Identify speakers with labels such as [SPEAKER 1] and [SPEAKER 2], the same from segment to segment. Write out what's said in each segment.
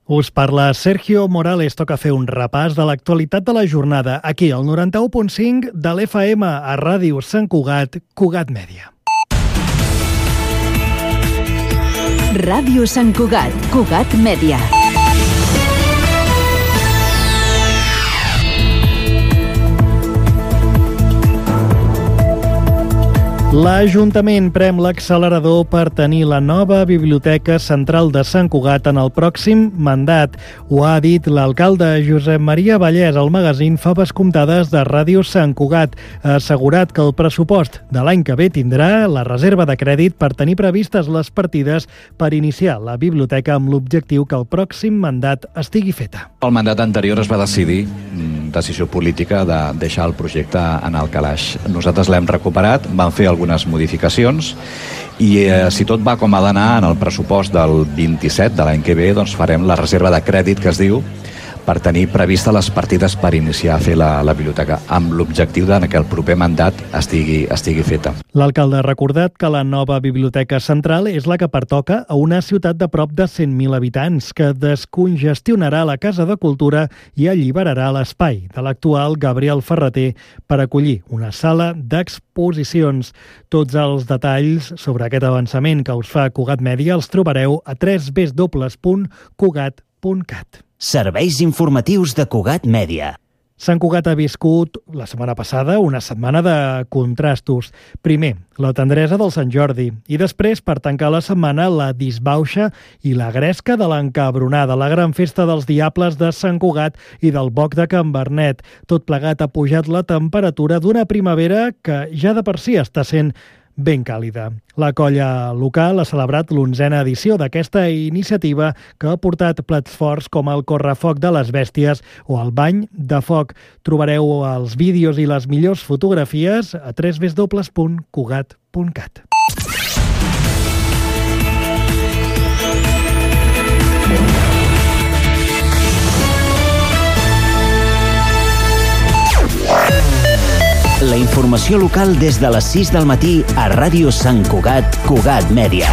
[SPEAKER 1] Us parla Sergio Morales. Toca fer un repàs de l'actualitat de la jornada aquí al 91.5 de l'FM a Ràdio Sant Cugat, Cugat Mèdia.
[SPEAKER 2] Ràdio Sant Cugat, Cugat Mèdia.
[SPEAKER 1] L'Ajuntament prem l'accelerador per tenir la nova Biblioteca Central de Sant Cugat en el pròxim mandat. Ho ha dit l'alcalde Josep Maria Vallès al magazín Faves Comptades de Ràdio Sant Cugat. Ha assegurat que el pressupost de l'any que ve tindrà la reserva de crèdit per tenir previstes les partides per iniciar la biblioteca amb l'objectiu que el pròxim mandat estigui feta.
[SPEAKER 3] El mandat anterior es va decidir, decisió política, de deixar el projecte en el calaix. Nosaltres l'hem recuperat, vam fer algunes modificacions i si tot va com ha d'anar en el pressupost del 27 de l'any que ve, doncs farem la reserva de crèdit que es diu per tenir prevista les partides per iniciar a fer la biblioteca, amb l'objectiu que el proper mandat estigui feta.
[SPEAKER 1] L'alcalde ha recordat que la nova Biblioteca Central és la que pertoca a una ciutat de prop de 100.000 habitants, que descongestionarà la Casa de Cultura i alliberarà l'espai de l'actual Gabriel Ferrater per acollir una sala d'exposicions. Tots els detalls sobre aquest avançament que us fa Cugat Mèdia els trobareu a www.cugat.cat.
[SPEAKER 4] Serveis informatius de Cugat Mèdia.
[SPEAKER 1] Sant Cugat ha viscut la setmana passada una setmana de contrastos. Primer, la tendresa del Sant Jordi i després, per tancar la setmana, la disbauxa i la gresca de l'encabronada, la gran festa dels diables de Sant Cugat i del Boc de Can Bernet. Tot plegat ha pujat la temperatura d'una primavera que ja de per si està sent ben càlida. La colla local ha celebrat l'11a edició d'aquesta iniciativa que ha portat plats forts com el correfoc de les bèsties o el bany de foc. Trobareu els vídeos i les millors fotografies a www.cugat.cat.
[SPEAKER 4] La informació local des de les 6 del matí a Ràdio Sant Cugat, Cugat Mèdia.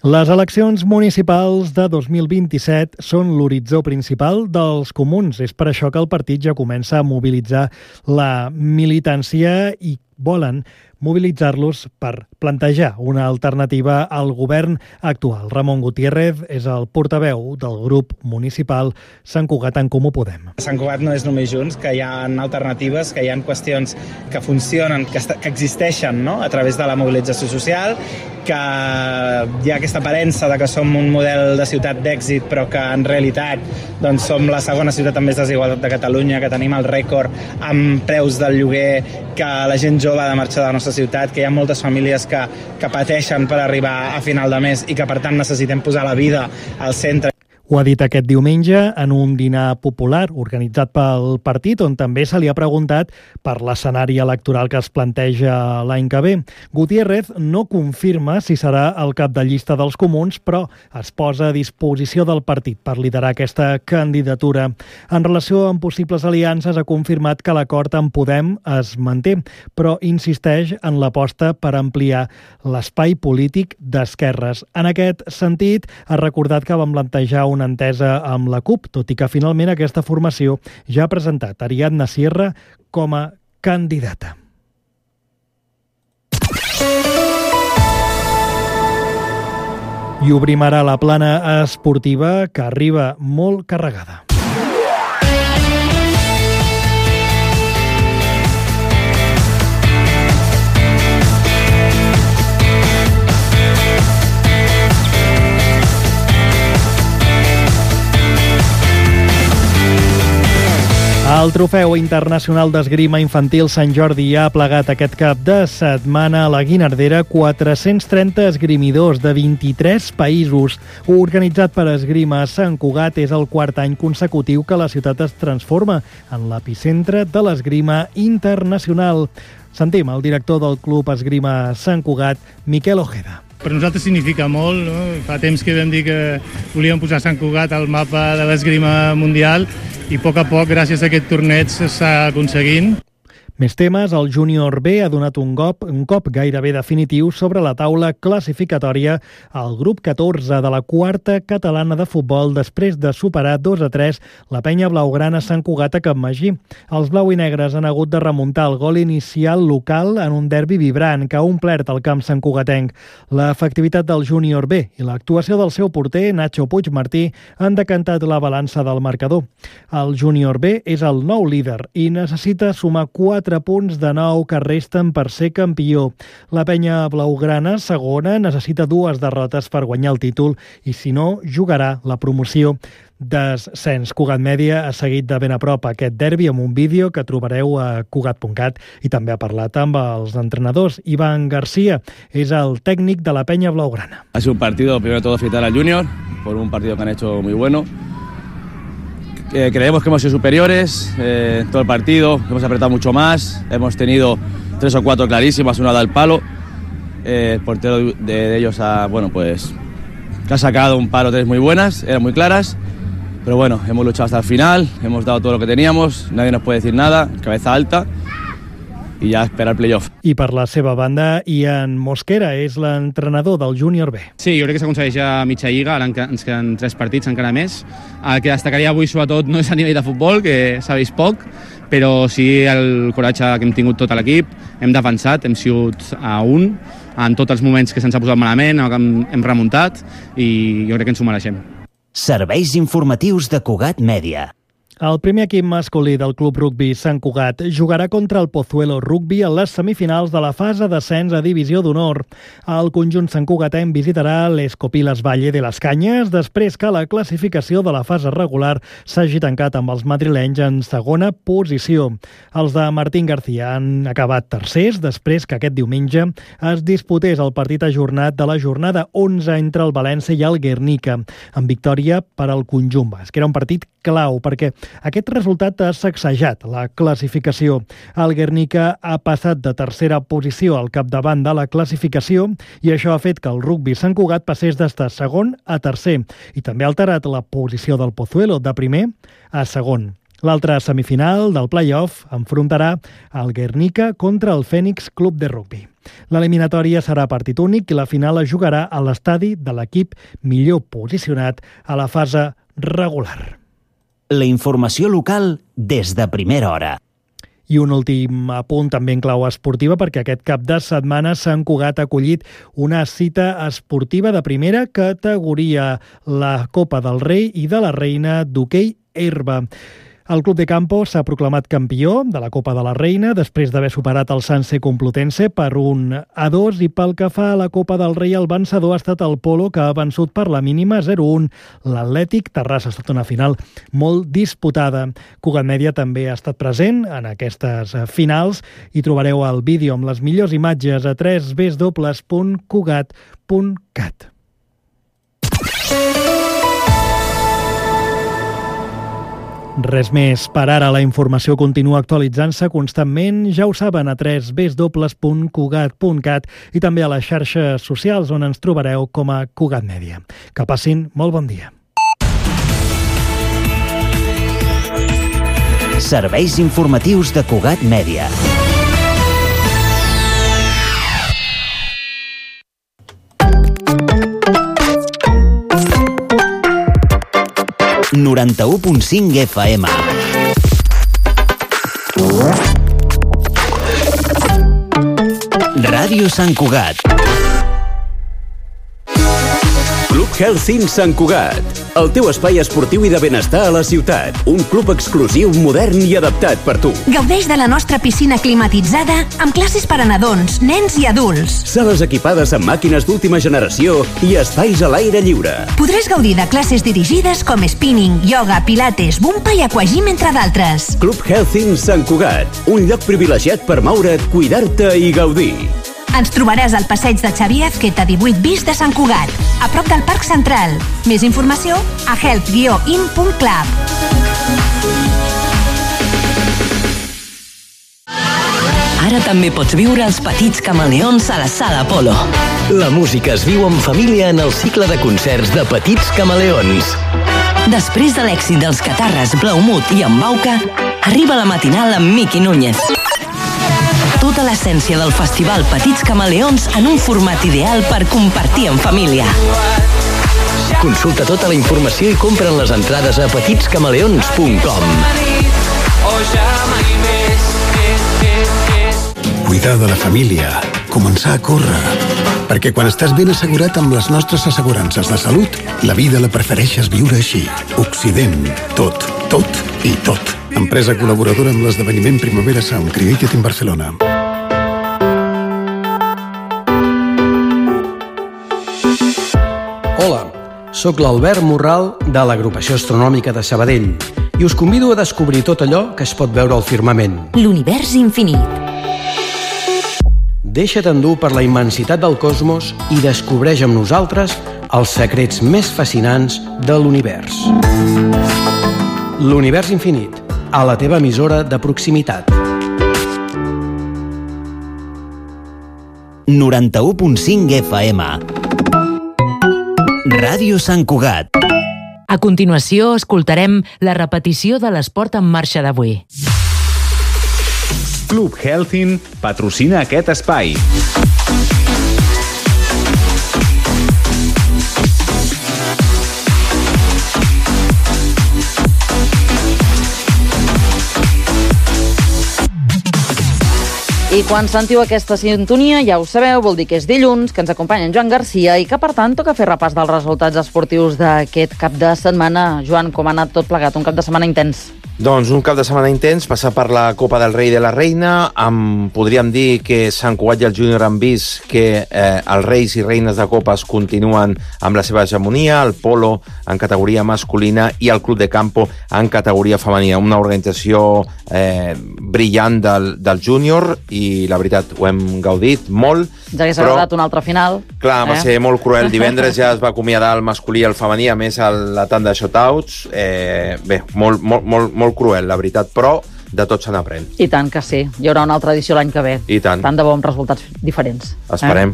[SPEAKER 1] Les eleccions municipals de 2027 són l'horitzó principal dels comuns. És per això que el partit ja comença a mobilitzar la militància i volen mobilitzar-los per plantejar una alternativa al govern actual. Ramon Gutiérrez és el portaveu del grup municipal Sant Cugat en Comú Podem.
[SPEAKER 5] Sant Cugat no és només Junts, que hi ha alternatives, que hi ha qüestions que funcionen, que existeixen, no?, a través de la mobilització social, que hi ha aquesta aparença de que som un model de ciutat d'èxit, però que en realitat doncs, som la segona ciutat amb més desigualtat de Catalunya, que tenim el rècord amb preus del lloguer, que la gent jove ha de marxar de la nostra ciutat, que hi ha moltes famílies que pateixen per arribar a final de mes i que per tant necessitem posar la vida al centre.
[SPEAKER 1] Ho ha dit aquest diumenge en un dinar popular organitzat pel partit, on també se li ha preguntat per l'escenari electoral que es planteja l'any que ve. Gutiérrez no confirma si serà el cap de llista dels comuns, però es posa a disposició del partit per liderar aquesta candidatura. En relació amb possibles aliances, ha confirmat que l'acord amb Podem es manté, però insisteix en l'aposta per ampliar l'espai polític d'esquerres. En aquest sentit, ha recordat que van plantejar una entesa amb la CUP, tot i que finalment aquesta formació ja ha presentat Ariadna Sierra com a candidata. I obrim ara la plana esportiva, que arriba molt carregada. El Trofeu Internacional d'Esgrima Infantil Sant Jordi ha plegat aquest cap de setmana a la Guinardera 430 esgrimidors de 23 països. Organitzat per Esgrima Sant Cugat, és el quart any consecutiu que la ciutat es transforma en l'epicentre de l'esgrima internacional. Sentim el director del Club Esgrima Sant Cugat, Miquel Ojeda.
[SPEAKER 6] Per nosaltres significa molt, no? Fa temps que vam dir que volíem posar Sant Cugat al mapa de l'esgrima mundial i a poc, gràcies a aquest torneig, s'està aconseguint.
[SPEAKER 1] Més temes, el júnior B ha donat un cop gairebé definitiu sobre la taula classificatòria al grup 14 de la quarta catalana de futbol després de superar 2-3 la penya blaugrana Sant Cugat a Capmagí. Els blau i negres han hagut de remuntar el gol inicial local en un derbi vibrant que ha omplert el camp santcugatenc. L'efectivitat del júnior B i l'actuació del seu porter, Nacho Puigmartí, han decantat la balança del marcador. El júnior B és el nou líder i necessita sumar 4 punts de 9 que resten per ser campió. La penya blaugrana, segona, necessita 2 derrotes per guanyar el títol i, si no, jugarà la promoció descens. Cugat Mèdia ha seguit de ben a prop aquest derbi amb un vídeo que trobareu a cugat.cat i també ha parlat amb els entrenadors. Iván García és el tècnic de la penya blaugrana.
[SPEAKER 7] Ha sido un partido, primero de todo, felicitar al Junior por un partido que han hecho muy bueno. Creemos que hemos sido superiores todo el partido, hemos apretado mucho más, hemos tenido 3 o 4 clarísimas, una da al palo. El portero de ellos que ha sacado un par o 3 muy buenas, eran muy claras, pero bueno, hemos luchado hasta el final, hemos dado todo lo que teníamos, nadie nos puede decir nada, cabeza alta i ja esperar el playoff.
[SPEAKER 1] I per la seva banda, Ian Mosquera és l'entrenador del júnior B.
[SPEAKER 8] Sí, jo crec que s'aconsegueix a mitja lliga, ara ens queden 3 partits, encara més. El que destacaria avui, sobretot, no és a nivell de futbol, que s'ha vist poc, però sí el coratge que hem tingut tot l'equip, hem defensat, hem sigut a un, en tots els moments que se'ns ha posat malament, hem remuntat i jo crec que ens ho mereixem.
[SPEAKER 4] Serveis informatius de Cugat Mèdia.
[SPEAKER 1] El primer equip masculí del Club Rugbi Sant Cugat jugarà contra el Pozuelo Rugbi en les semifinals de la fase d'ascens a Divisió d'Honor. El conjunt santcugatenc visitarà l'Escopiles Valle de les Canyes després que la classificació de la fase regular s'hagi tancat amb els madrilenys en segona posició. Els de Martín García han acabat tercers després que aquest diumenge es disputés el partit ajornat de la jornada 11 entre el València i el Guernica, amb victòria per al conjunt basc. Era un partit clau perquè aquest resultat ha sacsejat la classificació. El Guernica ha passat de tercera posició al capdavant de la classificació i això ha fet que el rugbi Sant Cugat passés d'estar segon a tercer i també ha alterat la posició del Pozuelo de primer a segon. L'altra semifinal del play-off enfrontarà el Guernica contra el Fènix Club de Rugbi. L'eliminatòria serà partit únic i la final es jugarà a l'estadi de l'equip millor posicionat a la fase regular.
[SPEAKER 4] La informació local des de primera hora.
[SPEAKER 1] I un últim apunt també en clau esportiva perquè aquest cap de setmana Sant Cugat ha acollit una cita esportiva de primera categoria, la Copa del Rei i de la Reina d'hoquei herba. El Club de Campo s'ha proclamat campió de la Copa de la Reina després d'haver superat el Sanse Complutense per 1-2 i pel que fa a la Copa del Rei el vencedor ha estat el Polo que ha vençut per la mínima 0-1. L'Atlètic Terrassa ha estat una final molt disputada. Cugat Mèdia també ha estat present en aquestes finals i trobareu el vídeo amb les millors imatges a www.cugat.cat. Res més per ara. La informació continua actualitzant-se constantment. Ja ho saben, a www.cugat.cat i també a les xarxes socials on ens trobareu com a Cugat Mèdia. Que passin molt bon dia.
[SPEAKER 4] Serveis informatius de Cugat Mèdia. ...91.5 FM. Ràdio Sant Cugat.
[SPEAKER 9] Club Health Sant Cugat, el teu espai esportiu i de benestar a la ciutat. Un club exclusiu, modern i adaptat per tu.
[SPEAKER 10] Gaudeix de la nostra piscina climatitzada amb classes per a nadons, nens i adults.
[SPEAKER 9] Sales equipades amb màquines d'última generació i espais a l'aire lliure.
[SPEAKER 10] Podràs gaudir de classes dirigides com spinning, ioga, pilates, bumpa i aquagym, entre d'altres.
[SPEAKER 9] Club Health Sant Cugat, un lloc privilegiat per moure't, cuidar-te i gaudir.
[SPEAKER 10] Ens trobaràs al passeig de Xavier Azqueta 18 bis de Sant Cugat, a prop del Parc Central. Més informació a health-in.club.
[SPEAKER 11] Ara també pots viure els petits camaleons a la Sala Apolo.
[SPEAKER 12] La música es viu en família en el cicle de concerts de Petits Camaleons.
[SPEAKER 11] Després de l'èxit dels Catarres, Blaumut i Embauca, arriba la matinal amb Miqui Núñez. tota l'essència del festival Petits Camaleons en un format ideal per compartir en família.
[SPEAKER 12] Consulta tota la informació i compra'n les entrades a petitscamaleons.com.
[SPEAKER 13] Cuidar de la família, començar a córrer. Perquè quan estàs ben assegurat amb les nostres assegurances de salut, la vida la prefereixes viure així. Occident. Tot, tot i tot. Empresa col·laboradora amb l'esdeveniment Primavera Sound Created in Barcelona.
[SPEAKER 14] Hola, sóc l'Albert Morral de l'Agrupació Astronòmica de Sabadell i us convido a descobrir tot allò que es pot veure al firmament.
[SPEAKER 10] L'univers infinit.
[SPEAKER 14] Deixa't endur per la immensitat del cosmos i descobreix amb nosaltres els secrets més fascinants de l'univers. L'univers infinit, a la teva emissora de proximitat.
[SPEAKER 4] 91.5 FM. Ràdio Sant Cugat.
[SPEAKER 15] A continuació, escoltarem la repetició de l'Esport en Marxa d'avui.
[SPEAKER 16] Club Helsin patrocina aquest espai.
[SPEAKER 17] I quan sentiu aquesta sintonia, ja ho sabeu, vol dir que és dilluns, que ens acompanya en Joan Garcia i que, per tant, toca fer repàs dels resultats esportius d'aquest cap de setmana. Joan, com ha anat tot plegat? Un cap de setmana intens.
[SPEAKER 18] Doncs un cap de setmana intens, passar per la Copa del Rei i de la Reina, podríem dir que Sant Cugat i el Júnior han vist que els reis i reines de copes continuen amb la seva hegemonia, el polo en categoria masculina i el club de campo en categoria femenina. Una organització brillant del Júnior i la veritat ho hem gaudit molt.
[SPEAKER 17] Ja hagués agradat un altre final.
[SPEAKER 18] Clar, va ser molt cruel. Divendres ja es va acomiadar el masculí i el femení, a més la tant de shotouts. Bé, molt cruel, la veritat, però de tot se n'aprèn.
[SPEAKER 17] I tant que sí. Hi haurà una altra edició l'any que ve.
[SPEAKER 18] I tant.
[SPEAKER 17] Tant de bo amb resultats diferents.
[SPEAKER 18] Esperem.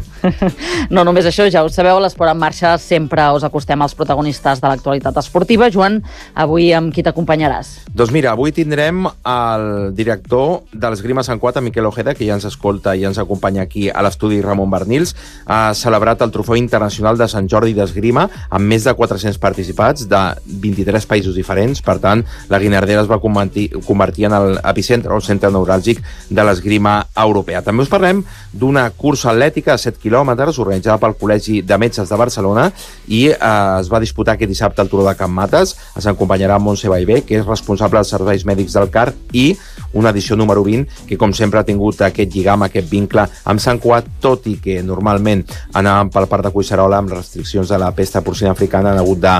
[SPEAKER 17] No només això, ja ho sabeu, l'Esport en Marxa sempre us acostem als protagonistes de l'actualitat esportiva. Joan, avui amb qui t'acompanyaràs?
[SPEAKER 18] Doncs mira, avui tindrem el director de l'Esgrima Sant Cugat, Miquel Ojeda, que ja ens escolta i ens acompanya aquí a l'estudi Ramon Bernils. Ha celebrat el Trofeu Internacional de Sant Jordi d'Esgrima amb més de 400 participats de 23 països diferents. Per tant, la Guinardera es va convertir en l'epicentre o el centre neuràlgic de l'esgrima europea. També us parlem d'una cursa atlètica de 7 quilòmetres organitzada pel Col·legi de Metges de Barcelona i es va disputar aquest dissabte al Turó de Can Mates. Ens acompanyarà Montse Ballbé, que és responsable dels serveis mèdics del CAR, i una edició número 20 que, com sempre, ha tingut aquest lligam, aquest vincle amb Sant Cugat, tot i que normalment anàvem pel Parc de Collserola amb restriccions de la pesta porcina africana, han hagut de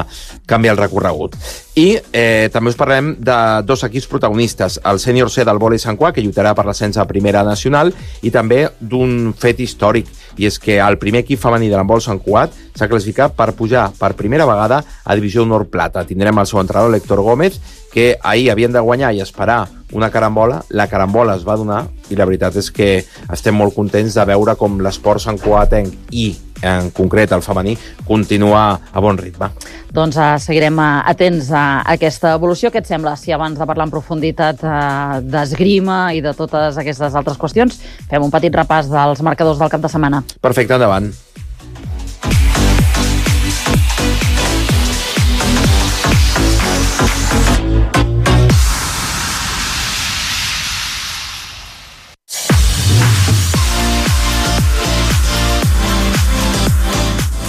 [SPEAKER 18] canviar el recorregut. I també us parlem de dos equips protagonistes, el sènior C del vòlei Sant Cugat, que lluitarà per l'ascens a Primera Nacional, i també d'un fet històric, i és que el primer equip femení de l'handbol Sant Cugat s'ha classificat per pujar per primera vegada a Divisió Honor Plata. Tindrem el seu entrenador, l'Héctor Gómez, que ahir havien de guanyar i esperar una carambola. La carambola es va donar i la veritat és que estem molt contents de veure com l'esport santcugatenc i en concret el femení continua a bon ritme.
[SPEAKER 17] Doncs seguirem atents a aquesta evolució. Què et sembla si abans de parlar en profunditat d'esgrima i de totes aquestes altres qüestions fem un petit repàs dels marcadors del cap de setmana?
[SPEAKER 18] Perfecte, endavant.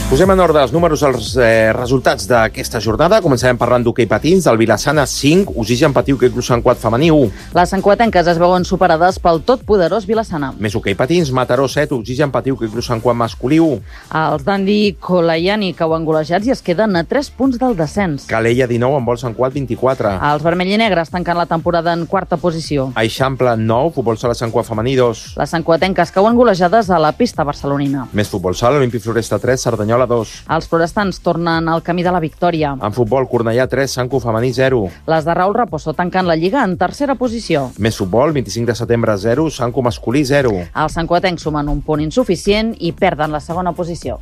[SPEAKER 18] Posem en ordre els números, els resultats d'aquesta jornada. Començarem parlant d'hoquei patins, del Vilassana 5, Oxigen Patiu que Club Sant Cugat femení 1.
[SPEAKER 17] Les santcugatenques es veuen superades pel totpoderós Vilassana.
[SPEAKER 18] Més hoquei patins, Mataró 7, Oxigen Patiu que Club Sant Cugat masculí 1.
[SPEAKER 17] Els Dandi Kolayani cau engolejats i es queden a 3 punts del descens.
[SPEAKER 18] Calella 19, Handbol Sant Cugat 24.
[SPEAKER 17] Els vermell i negres tancant la temporada en quarta posició.
[SPEAKER 18] Eixample 9, Futbol Sala Sant Cugat femení 2.
[SPEAKER 17] Les santcugatenques cauen golejades a la pista barcelonina.
[SPEAKER 18] Més Futbol Sala, Olímpic Floresta 3, Cerdanyola 2.
[SPEAKER 17] Els florestans tornen al camí de la victòria.
[SPEAKER 18] En futbol, Cornellà 3, Sant Cugat femení 0.
[SPEAKER 17] Les de Raül Raposo tancant la Lliga en tercera posició.
[SPEAKER 18] Més futbol, 25 de setembre 0, Sant Cugat masculí 0.
[SPEAKER 17] Els santcugatencs sumen un punt insuficient i perden la segona posició.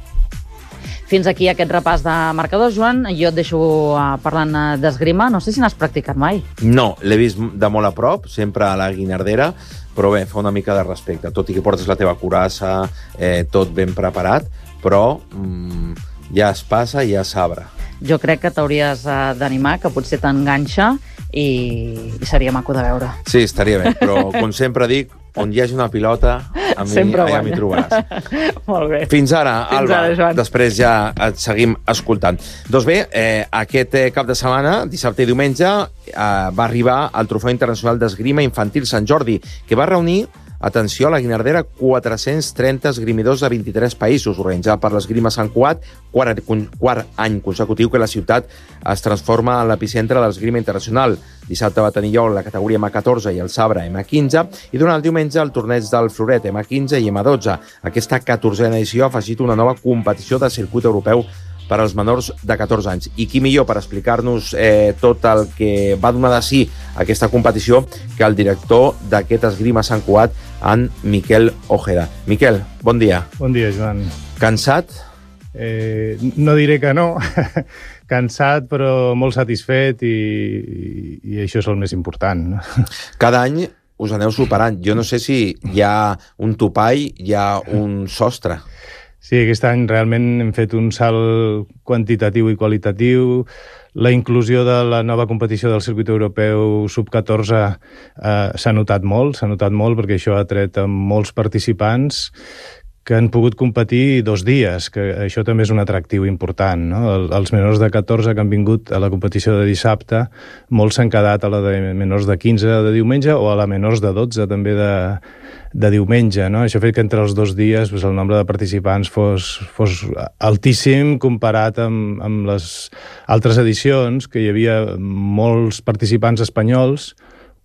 [SPEAKER 17] Fins aquí aquest repàs de marcadors, Joan. Jo et deixo parlant d'esgrima. No sé si n'has practicat mai.
[SPEAKER 18] No, l'he vist de molt a prop, sempre a la Guinardera, però bé, fa una mica de respecte. Tot i que portes la teva curassa, tot ben preparat, però ja es passa i ja s'abre.
[SPEAKER 17] Jo crec que t'hauries d'animar, que potser t'enganxa i seria maco de veure.
[SPEAKER 18] Sí, estaria bé, però com sempre dic, on hi hagi una pilota, allà m'hi trobaràs.
[SPEAKER 17] Molt bé.
[SPEAKER 18] Fins ara, Alba.
[SPEAKER 17] Fins ara, Joan.
[SPEAKER 18] Després ja et seguim escoltant. Doncs bé, aquest cap de setmana, dissabte i diumenge, va arribar el Trofeu Internacional d'Esgrima Infantil Sant Jordi, que va reunir, atenció, a la Guinardera, 430 esgrimidors de 23 països, organitzat per l'Esgrima Sant Cugat, quart any consecutiu que la ciutat es transforma en l'epicentre de l'esgrima internacional. Dissabte va tenir lloc la categoria M14 i el sabre M15, i durant el diumenge el torneig del floret M15 i M12. Aquesta 14a edició ha afegit una nova competició de circuit europeu per als menors de 14 anys. I qui millor per explicar-nos tot el que va donar de si aquesta competició que el director d'aquest Esgrima Sant Cugat, en Miquel Ojeda. Miquel, bon dia.
[SPEAKER 6] Bon dia, Joan.
[SPEAKER 18] Cansat?
[SPEAKER 6] No diré que no. Cansat, però molt satisfet i això és el més important.
[SPEAKER 18] Cada any us aneu superant. Jo no sé si hi ha un topall, hi ha un sostre.
[SPEAKER 6] Sí, aquest any realment hem fet un salt quantitatiu i qualitatiu. La inclusió de la nova competició del circuit europeu sub-14 s'ha notat molt perquè això ha tret molts participants que han pogut competir 2 dies, que això també és un atractiu important, no? Els menors de 14 que han vingut a la competició de dissabte, molts s'han quedat a la de menors de 15 de diumenge o a la menors de 12 també de diumenge, no? Això ha fet que entre els 2 dies el nombre de participants fos altíssim comparat amb les altres edicions, que hi havia molts participants espanyols,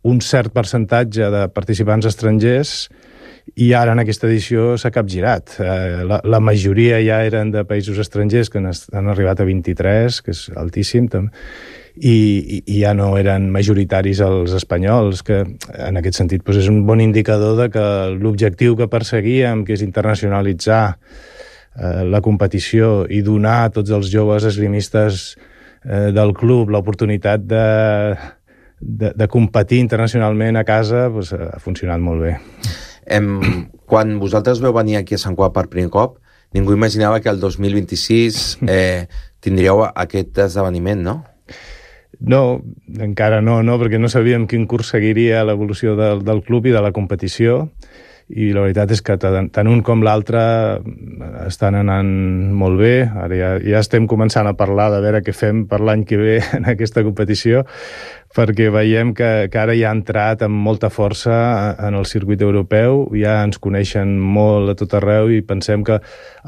[SPEAKER 6] un cert percentatge de participants estrangers, i ara en aquesta edició s'ha capgirat. La majoria ja eren de països estrangers, que han arribat a 23, que és altíssim, i ja no eren majoritaris els espanyols, que en aquest sentit és un bon indicador de que l'objectiu que perseguíem, que és internacionalitzar la competició i donar a tots els joves esgrimistes del club l'oportunitat de competir internacionalment a casa, ha funcionat molt bé.
[SPEAKER 18] Quan vosaltres veu venir aquí a Sant Cugat per primer cop, ningú imaginava que el 2026 tindríeu aquest esdeveniment, no?
[SPEAKER 6] No, encara no, perquè no sabíem quin curs seguiria l'evolució del club i de la competició, i la veritat és que tant un com l'altre estan anant molt bé. Ara ja estem començant a parlar de veure què fem per l'any que ve en aquesta competició, perquè veiem que ara ja ha entrat amb molta força en el circuit europeu, ja ens coneixen molt a tot arreu i pensem que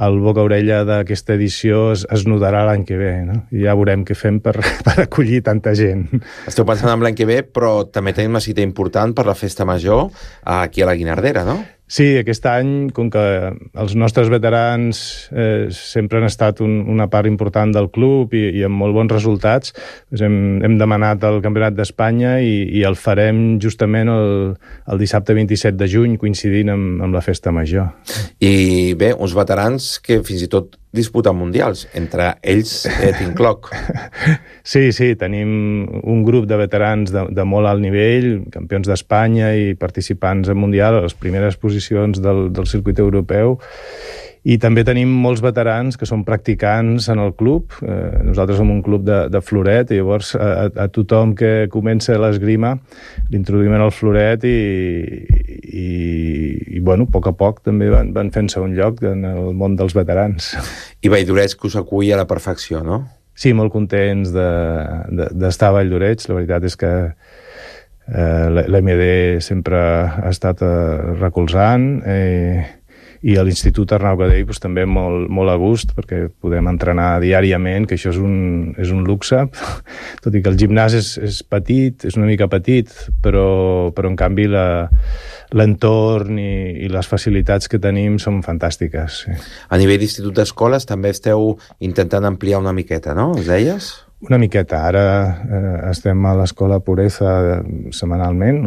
[SPEAKER 6] el boca-orella d'aquesta edició es notarà l'any que ve, no? I ja veurem què fem per acollir tanta gent.
[SPEAKER 18] Esteu pensant en l'any que ve, però també tenim una cita important per la festa major aquí a la Guinardera, no?
[SPEAKER 6] Sí, aquest any, com que els nostres veterans sempre han estat una part important del club i amb molt bons resultats, hem demanat el Campionat d'Espanya i el farem justament el dissabte 27 de juny, coincidint amb la festa major.
[SPEAKER 18] I bé, uns veterans que fins i tot disputen mundials, entre ells t'incloc.
[SPEAKER 6] Sí, tenim un grup de veterans de molt alt nivell, campions d'Espanya i participants en mundial a les primeres posicions del circuit europeu, i també tenim molts veterans que són practicants en el club. Nosaltres som un club de floret, i llavors a tothom que comença l'esgrima l'introduïm en el floret i bueno, a poc a poc també van fent-se un lloc en el món dels veterans.
[SPEAKER 18] I Valldoreix, que us acull a la perfecció, no?
[SPEAKER 6] Sí, molt contents d'estar a Valldoreix. La veritat és que l'MD sempre ha estat recolzant, i a l'Institut Arnau Gadell també molt a gust, perquè podem entrenar diàriament, que això és un luxe, tot i que el gimnàs és petit, és una mica petit, però en canvi l'entorn i les facilitats que tenim són fantàstiques. Sí.
[SPEAKER 18] A nivell d'institut d'escoles també esteu intentant ampliar una miqueta, no? Us deies?
[SPEAKER 6] Una miqueta. Ara estem a l'Escola Pureza setmanalment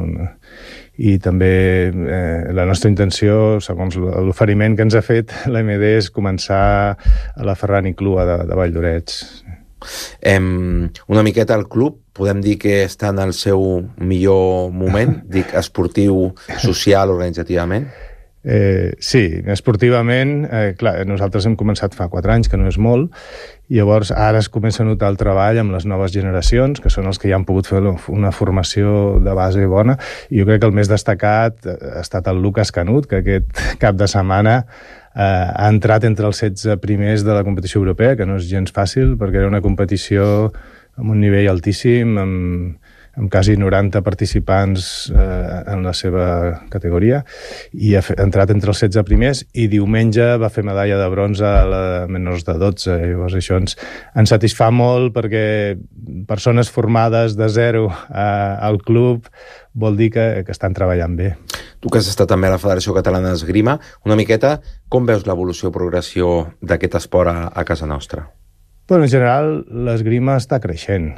[SPEAKER 6] i també la nostra intenció, segons l'oferiment que ens ha fet l'MD, és començar a la Ferran i Clua de Valldoreix.
[SPEAKER 18] Una miqueta al club, podem dir que està en el seu millor moment, dic esportiu, social, organitzativament?
[SPEAKER 6] Sí, esportivament, clar, nosaltres hem començat fa 4 anys, que no és molt, i llavors ara es comença a notar el treball amb les noves generacions, que són els que ja han pogut fer una formació de base bona, i jo crec que el més destacat ha estat el Lucas Canut, que aquest cap de setmana ha entrat entre els 16 primers de la competició europea, que no és gens fàcil, perquè era una competició amb un nivell altíssim, amb quasi 90 participants en la seva categoria, i ha entrat entre els 16 primers, i diumenge va fer medalla de bronze a la menors de 12. Llavors això ens satisfà molt, perquè persones formades de zero al club vol dir que estan treballant bé.
[SPEAKER 18] Tu que has estat també a la Federació Catalana d'Esgrima, una miqueta, com veus l'evolució o progressió d'aquest esport a casa nostra?
[SPEAKER 6] Bueno, en general, l'esgrima està creixent.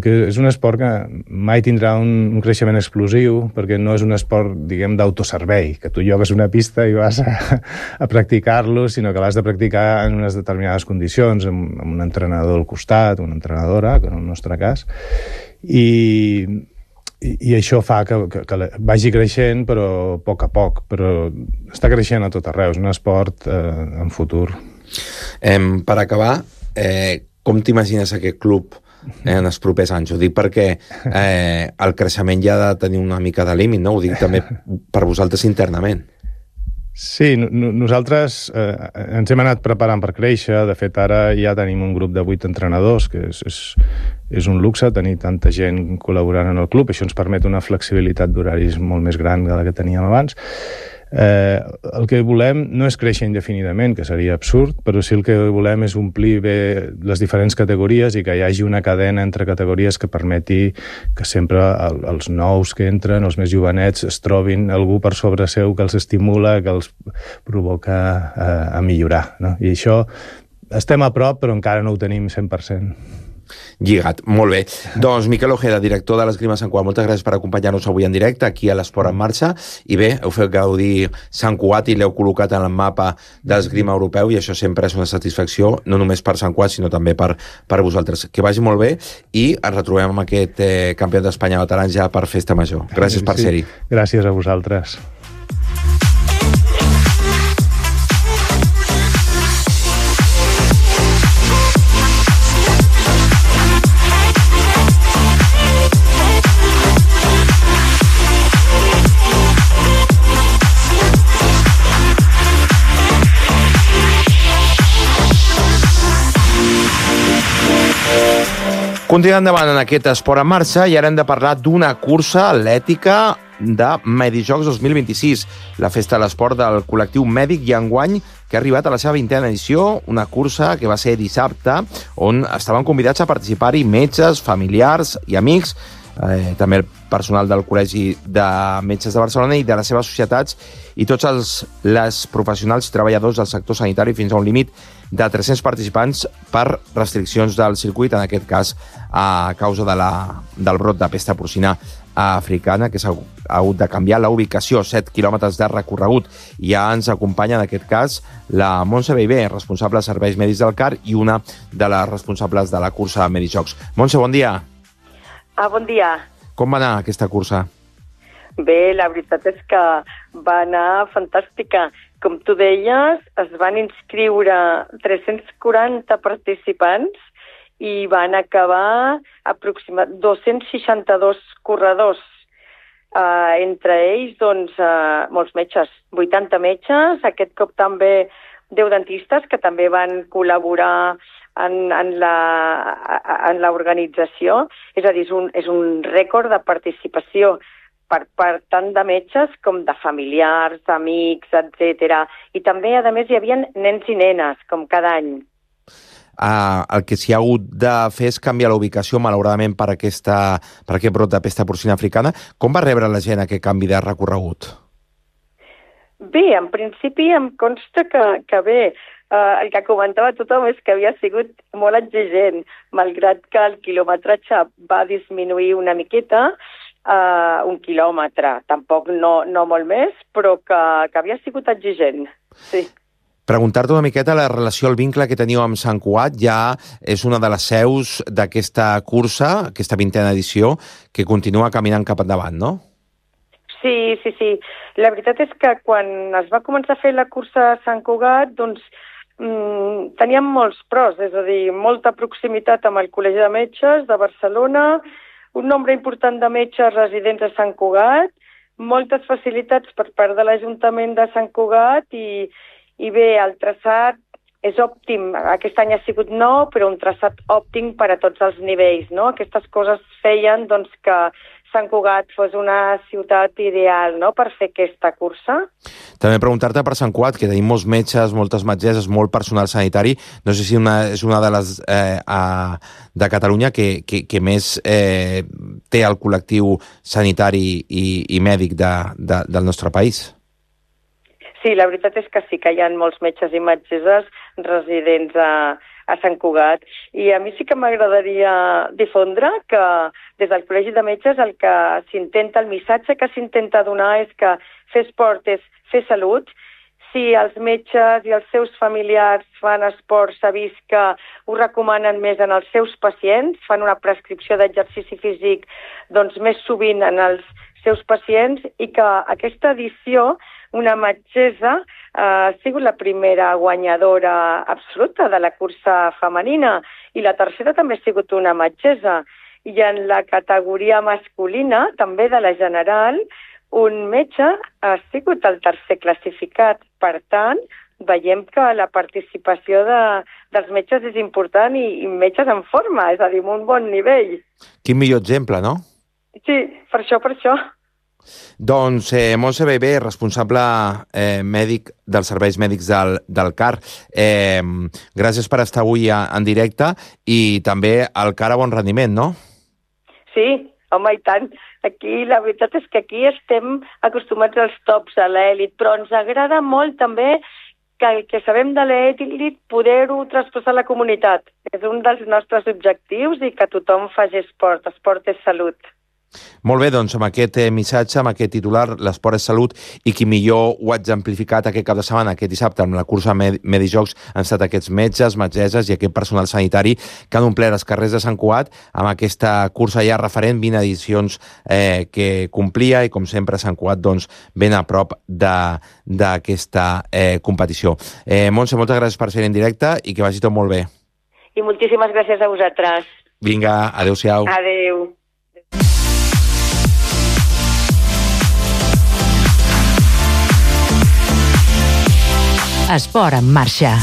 [SPEAKER 6] És un esport que mai tindrà un creixement explosiu, perquè no és un esport, diguem, d'autoservei, que tu llogues una pista i vas a practicar-lo, sinó que l'has de practicar en unes determinades condicions, amb un entrenador al costat, una entrenadora, que en el nostre cas, i això fa que vagi creixent, però a poc, però està creixent a tot arreu, és un esport en futur.
[SPEAKER 18] Per acabar, com t'imagines aquest club en els propers anys? Ho dic perquè el creixement ja ha de tenir una mica de límit, no? Ho dic també per vosaltres internament.
[SPEAKER 6] Sí, nosaltres ens hem anat preparant per créixer. De fet, ara ja tenim un grup de 8 entrenadors, que és un luxe tenir tanta gent col·laborant en el club. Això ens permet una flexibilitat d'horaris molt més gran que la que teníem abans. El que volem no és créixer indefinidament, que seria absurd, però sí el que volem és omplir bé les diferents categories i que hi hagi una cadena entre categories que permeti que sempre els nous que entren, els més jovenets, es trobin algú per sobre seu que els estimula, que els provoca a millorar, no? I això estem a prop, però encara no ho tenim 100%.
[SPEAKER 18] Lligat, molt bé. Doncs Miquel Ojeda, director de l'Esgrima Sant Cugat, moltes gràcies per acompanyar-nos avui en directe aquí a l'Esport en Marxa, i bé, heu fet gaudir Sant Cugat i l'heu col·locat en el mapa d'esgrima europeu, i això sempre és una satisfacció, no només per Sant Cugat, sinó també per vosaltres. Que vagi molt bé, i ens retrobem amb aquest campió d'Espanya de veterans ja per Festa Major. Gràcies per ser-hi.
[SPEAKER 6] Gràcies a vosaltres.
[SPEAKER 18] Continuem endavant en aquest Esport en Marxa i ara hem de parlar d'una cursa atlètica de Medijocs 2026, la festa de l'esport del col·lectiu mèdic i enguany que ha arribat a la seva 20a edició, una cursa que va ser dissabte, on estaven convidats a participar-hi metges, familiars i amics, també el personal del Col·legi de Metges de Barcelona i de les seves societats, i tots els professionals i treballadors del sector sanitari, fins a un límit de 300 participants per restriccions del circuit, en aquest cas a causa del brot de pesta porcina africana, que s'ha hagut de canviar la ubicació, 7 quilòmetres de recorregut. Ja ens acompanya en aquest cas la Montse Beibé, responsable de serveis mèdics del CAR i una de les responsables de la cursa Medijocs. Montse, bon dia.
[SPEAKER 19] Bon dia.
[SPEAKER 18] Com va anar aquesta cursa?
[SPEAKER 19] Bé, la veritat és que va anar fantàstica. Com tu deies, es van inscriure 340 participants i van acabar aproximadament 262 corredors. Entre ells, doncs, molts metges, 80 metges, aquest cop també 10 dentistes que també van col·laborar en l'organització. És a dir, és un rècord de participació per tant de metges com de familiars, amics, etc. I també, a més, hi havia nens i nenes, com cada any.
[SPEAKER 18] El que s'hi ha hagut de fer és canviar la ubicació, malauradament, per aquest brot de pesta porcina africana. Com va rebre la gent aquest canvi de recorregut?
[SPEAKER 19] Bé, en principi em consta que bé. el que comentava tothom és que havia sigut molt exigent, malgrat que el quilometratge va disminuir una miqueta, 1 quilòmetre, tampoc no molt més, però que havia sigut exigent, sí.
[SPEAKER 18] Preguntar-te una miqueta la relació, el vincle que teniu amb Sant Cugat, ja és una de les seus d'aquesta cursa, aquesta 20a edició, que continua caminant cap endavant, no?
[SPEAKER 19] Sí. La veritat és que quan es va començar a fer la cursa a Sant Cugat, doncs teníem molts pros, és a dir, molta proximitat amb el Col·legi de Metges de Barcelona, un nombre important de metges residents a Sant Cugat, moltes facilitats per part de l'Ajuntament de Sant Cugat i bé, el traçat és òptim. Aquest any ha sigut nou, però un traçat òptim per a tots els nivells, no? Aquestes coses feien doncs, que Sant Cugat fos una ciutat ideal, no?, per fer aquesta cursa.
[SPEAKER 18] També preguntar-te per Sant Cugat, que tenim molts metges, moltes metgesses, molt personal sanitari. No sé si és una de les de Catalunya que més té el col·lectiu sanitari i mèdic del nostre país.
[SPEAKER 19] Sí, la veritat és que sí que hi ha molts metges i metgesses residents a Sant Cugat. I a mi sí que m'agradaria difondre que des del Col·legi de Metges el que s'intenta, el missatge que s'intenta donar és que fer esport és fer salut. Si els metges i els seus familiars fan esport, s'ha vist que ho recomanen més en els seus pacients, fan una prescripció d'exercici físic doncs, més sovint en els seus pacients i que aquesta edició una metgessa ha sigut la primera guanyadora absoluta de la cursa femenina i la tercera també ha sigut una metgessa. I en la categoria masculina, també de la general, un metge ha sigut el tercer classificat. Per tant, veiem que la participació dels metges és important i metges en forma, és a dir, amb un bon nivell.
[SPEAKER 18] Quin millor exemple, no?
[SPEAKER 19] Sí, per això.
[SPEAKER 18] Doncs Montse Bebé, responsable mèdic dels serveis mèdics del CAR. Gràcies per estar avui en directe i també al CAR a bon rendiment, no?
[SPEAKER 19] Sí, home, i tant. Aquí, la veritat és que aquí estem acostumats als tops, a l'èlit, però ens agrada molt també que el que sabem de l'èlit poder-ho traspassar a la comunitat. És un dels nostres objectius i que tothom faci esport. Esport és salut.
[SPEAKER 18] Molt bé, doncs amb aquest missatge, amb aquest titular, l'esport és salut, i qui millor ho ha exemplificat aquest cap de setmana, aquest dissabte, amb la cursa Medijocs, han estat aquests metges, metgesses i aquest personal sanitari que han omplert els carrers de Sant Cugat amb aquesta cursa ja referent, 20 edicions que complia, i com sempre Sant Cugat doncs, ben a prop d'aquesta competició. Montse, moltes gràcies per ser en directe i que vagi tot molt bé.
[SPEAKER 19] I moltíssimes gràcies a vosaltres.
[SPEAKER 18] Vinga, adéu-siau.
[SPEAKER 19] Adéu.
[SPEAKER 15] Esport en marxa.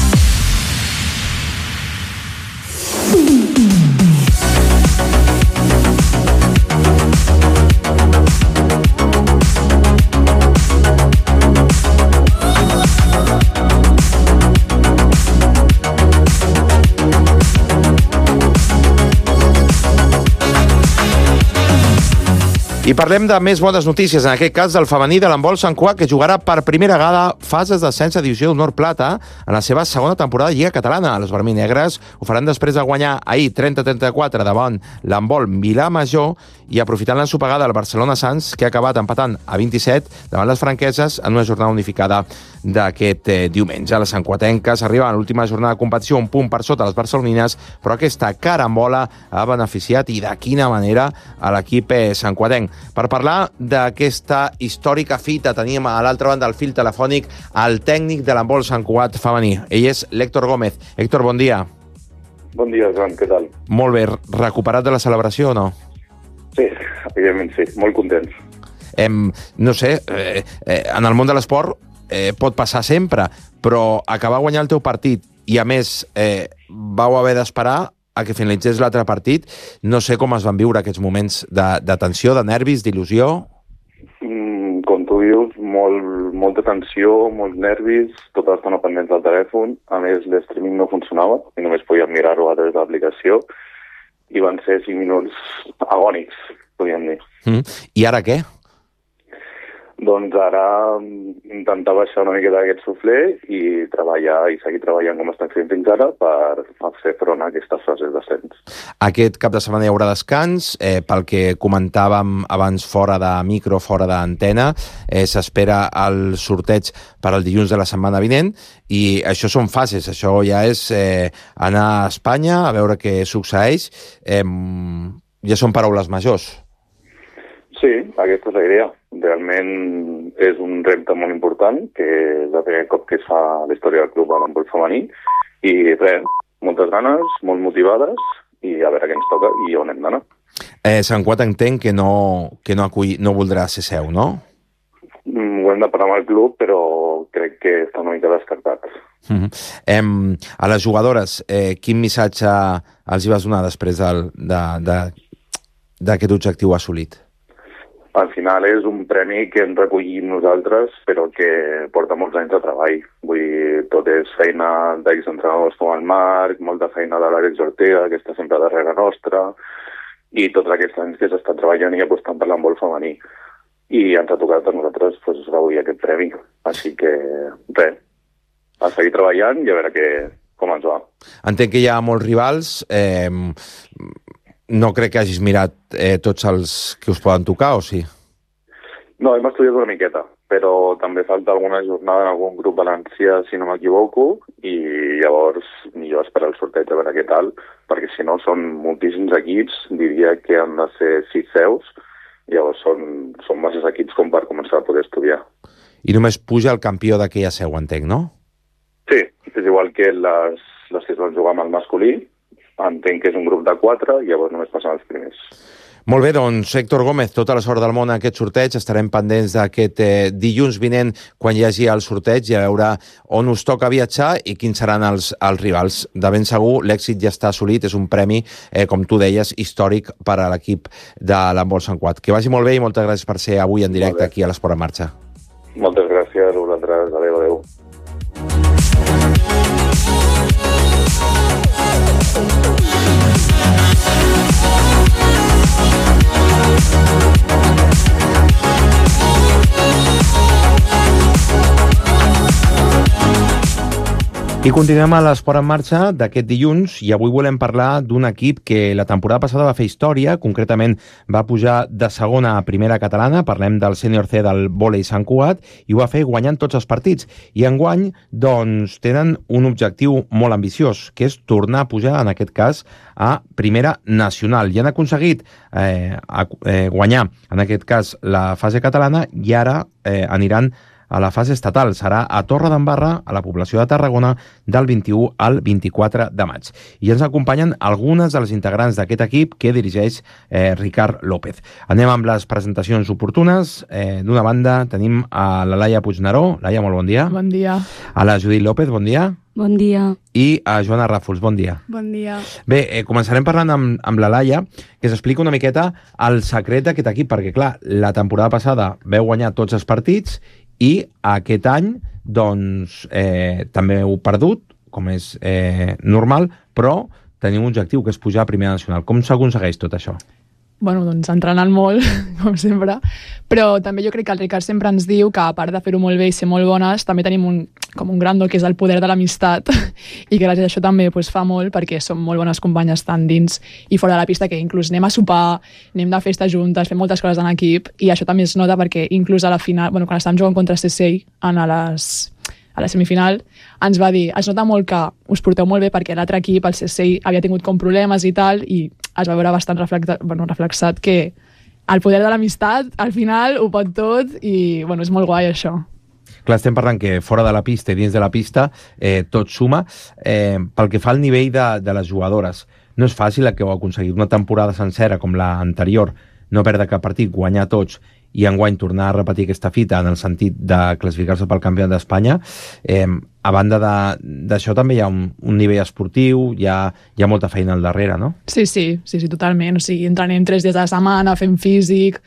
[SPEAKER 18] I parlem de més bones notícies, en aquest cas del femení de l'handbol Sant Cugat, que jugarà per primera vegada fases d'ascens a Divisió d'Honor Plata en la seva segona temporada de Lliga Catalana. Les vermell-negres ho faran després de guanyar ahir 30-34 davant l'handbol Vilamajor i aprofitant l'ensopegada del Barcelona Sants, que ha acabat empatant a 27 davant les franqueses en una jornada unificada d'aquest diumenge. Les santcuatenques arriben a l'última jornada de competició un punt per sota les barcelonines, però aquesta carambola ha beneficiat, i de quina manera, a l'equip santcuatenc. Per parlar d'aquesta històrica fita tenim a l'altra banda del fil telefònic el tècnic de l'handbol Sant Cugat femení. Ell és l'Héctor Gómez. Héctor, bon dia.
[SPEAKER 20] Bon dia, Joan, què tal?
[SPEAKER 18] Molt bé. Recuperat de la celebració o no?
[SPEAKER 20] Sí, evidentment sí. Molt contents.
[SPEAKER 18] No sé, en el món de l'esport pot passar sempre, però acabar guanyant el teu partit i, a més, vau haver d'esperar a que finalitzés l'altre partit. No sé com es van viure aquests moments de tensió, de nervis, d'il·lusió.
[SPEAKER 20] Com tu dius, molta tensió, molts nervis, tota l'estona pendents del telèfon. A més, l'streaming no funcionava i només podíem mirar-ho a través de l'aplicació. I van ser 5 minuts agònics, podríem dir.
[SPEAKER 18] I ara què?
[SPEAKER 20] Doncs ara intentar baixar una miqueta d'aquest suflé i treballar i seguir treballant com estem fent fins ara per fer front a aquestes fases d'ascens.
[SPEAKER 18] Aquest cap de setmana hi haurà descans. Pel que comentàvem abans fora de micro, fora d'antena, s'espera el sorteig per al dilluns de la setmana vinent i això són fases. Això ja és anar a Espanya a veure què succeeix. Ja són paraules majors.
[SPEAKER 20] Sí, aquesta és la idea. Realment és un repte molt important, que és el primer cop que es fa a la història del club a l'handbol femení, i res, moltes ganes, molt motivades, i a veure què ens toca i on hem d'anar.
[SPEAKER 18] Sant Cugat entenc que no voldrà ser seu, no?
[SPEAKER 20] Ho hem de parlar amb el club, però crec que està una mica descartat.
[SPEAKER 18] A les jugadores, quin missatge els hi vas donar després d'aquest objectiu assolit?
[SPEAKER 20] Al final és un premi que hem recollit nosaltres, però que porta molts anys de treball. Vull dir, tot és feina d'exentrenadors com el Marc, molta feina de l'Àlex Ortega, que està sempre darrere nostra, i tots aquests anys que s'està treballant i apostant per l'handbol femení. I ens ha tocat a nosaltres gaudir aquest premi. Així que, res, a seguir treballant i a veure com ens va.
[SPEAKER 18] Entenc que hi ha molts rivals. No crec que hagis mirat tots els que us poden tocar, o sí?
[SPEAKER 20] No, hem estudiat una miqueta, però també falta alguna jornada en algun grup valencià, si no m'equivoco, i llavors millor esperar el sorteig a veure què tal, perquè si no són moltíssims equips, diria que han de ser 6 seus, llavors són masses equips com per començar a poder estudiar.
[SPEAKER 18] I només puja el campió d'aquella seu, entenc, no?
[SPEAKER 20] Sí, és igual que les que es van jugar amb el masculí. Entenc que és un grup de 4 i llavors només passen els primers.
[SPEAKER 18] Molt bé, doncs, Héctor Gómez, tota la sort del món a aquest sorteig. Estarem pendents d'aquest dilluns vinent quan hi hagi el sorteig i a veure on us toca viatjar i quins seran els rivals. De ben segur, l'èxit ja està assolit, és un premi, com tu deies, històric per a l'equip de l'handbol Sant Cugat. Que vagi molt bé i moltes gràcies per ser avui en directe aquí a l'Esport en Marxa.
[SPEAKER 20] Moltes gràcies a vosaltres. Adéu.
[SPEAKER 18] I continuem a l'Esport en Marxa d'aquest dilluns i avui volem parlar d'un equip que la temporada passada va fer història, concretament va pujar de segona a primera catalana, parlem del sènior C del vòlei Sant Cugat, i ho va fer guanyant tots els partits. I enguany, doncs, tenen un objectiu molt ambiciós, que és tornar a pujar, en aquest cas, a primera nacional. I han aconseguit guanyar, en aquest cas, la fase catalana i ara aniran a la fase estatal. Serà a Torredembarra, a la població de Tarragona, del 21 al 24 de maig. I ens acompanyen algunes de les integrants d'aquest equip que dirigeix Ricard López. Anem amb les presentacions oportunes. D'una banda tenim a la Laia Puigneró. Laia, molt bon dia.
[SPEAKER 21] Bon dia.
[SPEAKER 18] A la Judit López, bon dia.
[SPEAKER 21] Bon dia.
[SPEAKER 18] I a Joana Ràfols, bon dia.
[SPEAKER 21] Bon dia.
[SPEAKER 18] Bé, començarem parlant amb la Laia, que s'explica una miqueta el secret d'aquest equip, perquè, clar, la temporada passada veu guanyar tots els partits i aquest any, doncs, també heu perdut, com és normal, però teniu un objectiu, que és pujar a primera nacional. Com s'aconsegueix tot això?
[SPEAKER 21] Bueno, doncs entrenant molt, com sempre, però també jo crec que el Ricard sempre ens diu que a part de fer-ho molt bé i ser molt bones, també tenim com un gran do, que és el poder de l'amistat, i que gràcies a això també fa molt, perquè som molt bones companyes tant dins i fora de la pista, que inclús anem a sopar, anem de festa juntes, fem moltes coses en equip, i això també es nota perquè inclús a la final, quan estàvem jugant contra CSI a la semifinal, ens va dir, es nota molt que us porteu molt bé perquè l'altre equip, el CSI, havia tingut com problemes i tal, i es va veure bastant reflexat que el poder de l'amistat al final ho pot tot i és molt guai això.
[SPEAKER 18] Clar, estem parlant que fora de la pista i dins de la pista tot suma. Pel que fa al nivell de les jugadores, no és fàcil el que heu aconseguit una temporada sencera com l'anterior, no perdre cap partit, guanyar tots i enguany tornar a repetir aquesta fita en el sentit de classificar-se pel campionat d'Espanya. A banda d'això també hi ha un nivell esportiu, hi ha molta feina al darrere, no?
[SPEAKER 21] Sí, totalment. O sigui, entrenem 3 dies a la setmana, fem físic,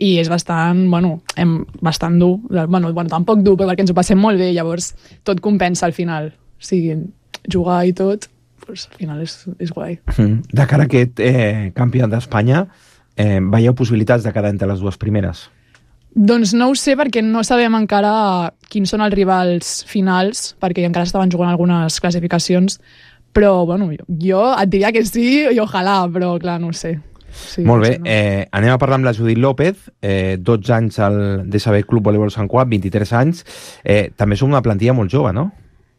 [SPEAKER 21] i és bastant dur. Tampoc dur, perquè ens ho passem molt bé, llavors tot compensa al final. O sigui, jugar i tot, al final és guai.
[SPEAKER 18] De cara a aquest campionat d'Espanya, veieu possibilitats de quedar entre les dues primeres?
[SPEAKER 21] Doncs no ho sé perquè no sabem encara quins són els rivals finals, perquè encara estaven jugant algunes classificacions, però bueno, jo et diria que sí i ojalà, però clar, no ho sé. Sí,
[SPEAKER 18] molt bé, anem a parlar amb la Judit López, 12 anys al DSB Club Voleibol Sant Cugat, 23 anys. També som una plantilla molt jove, no?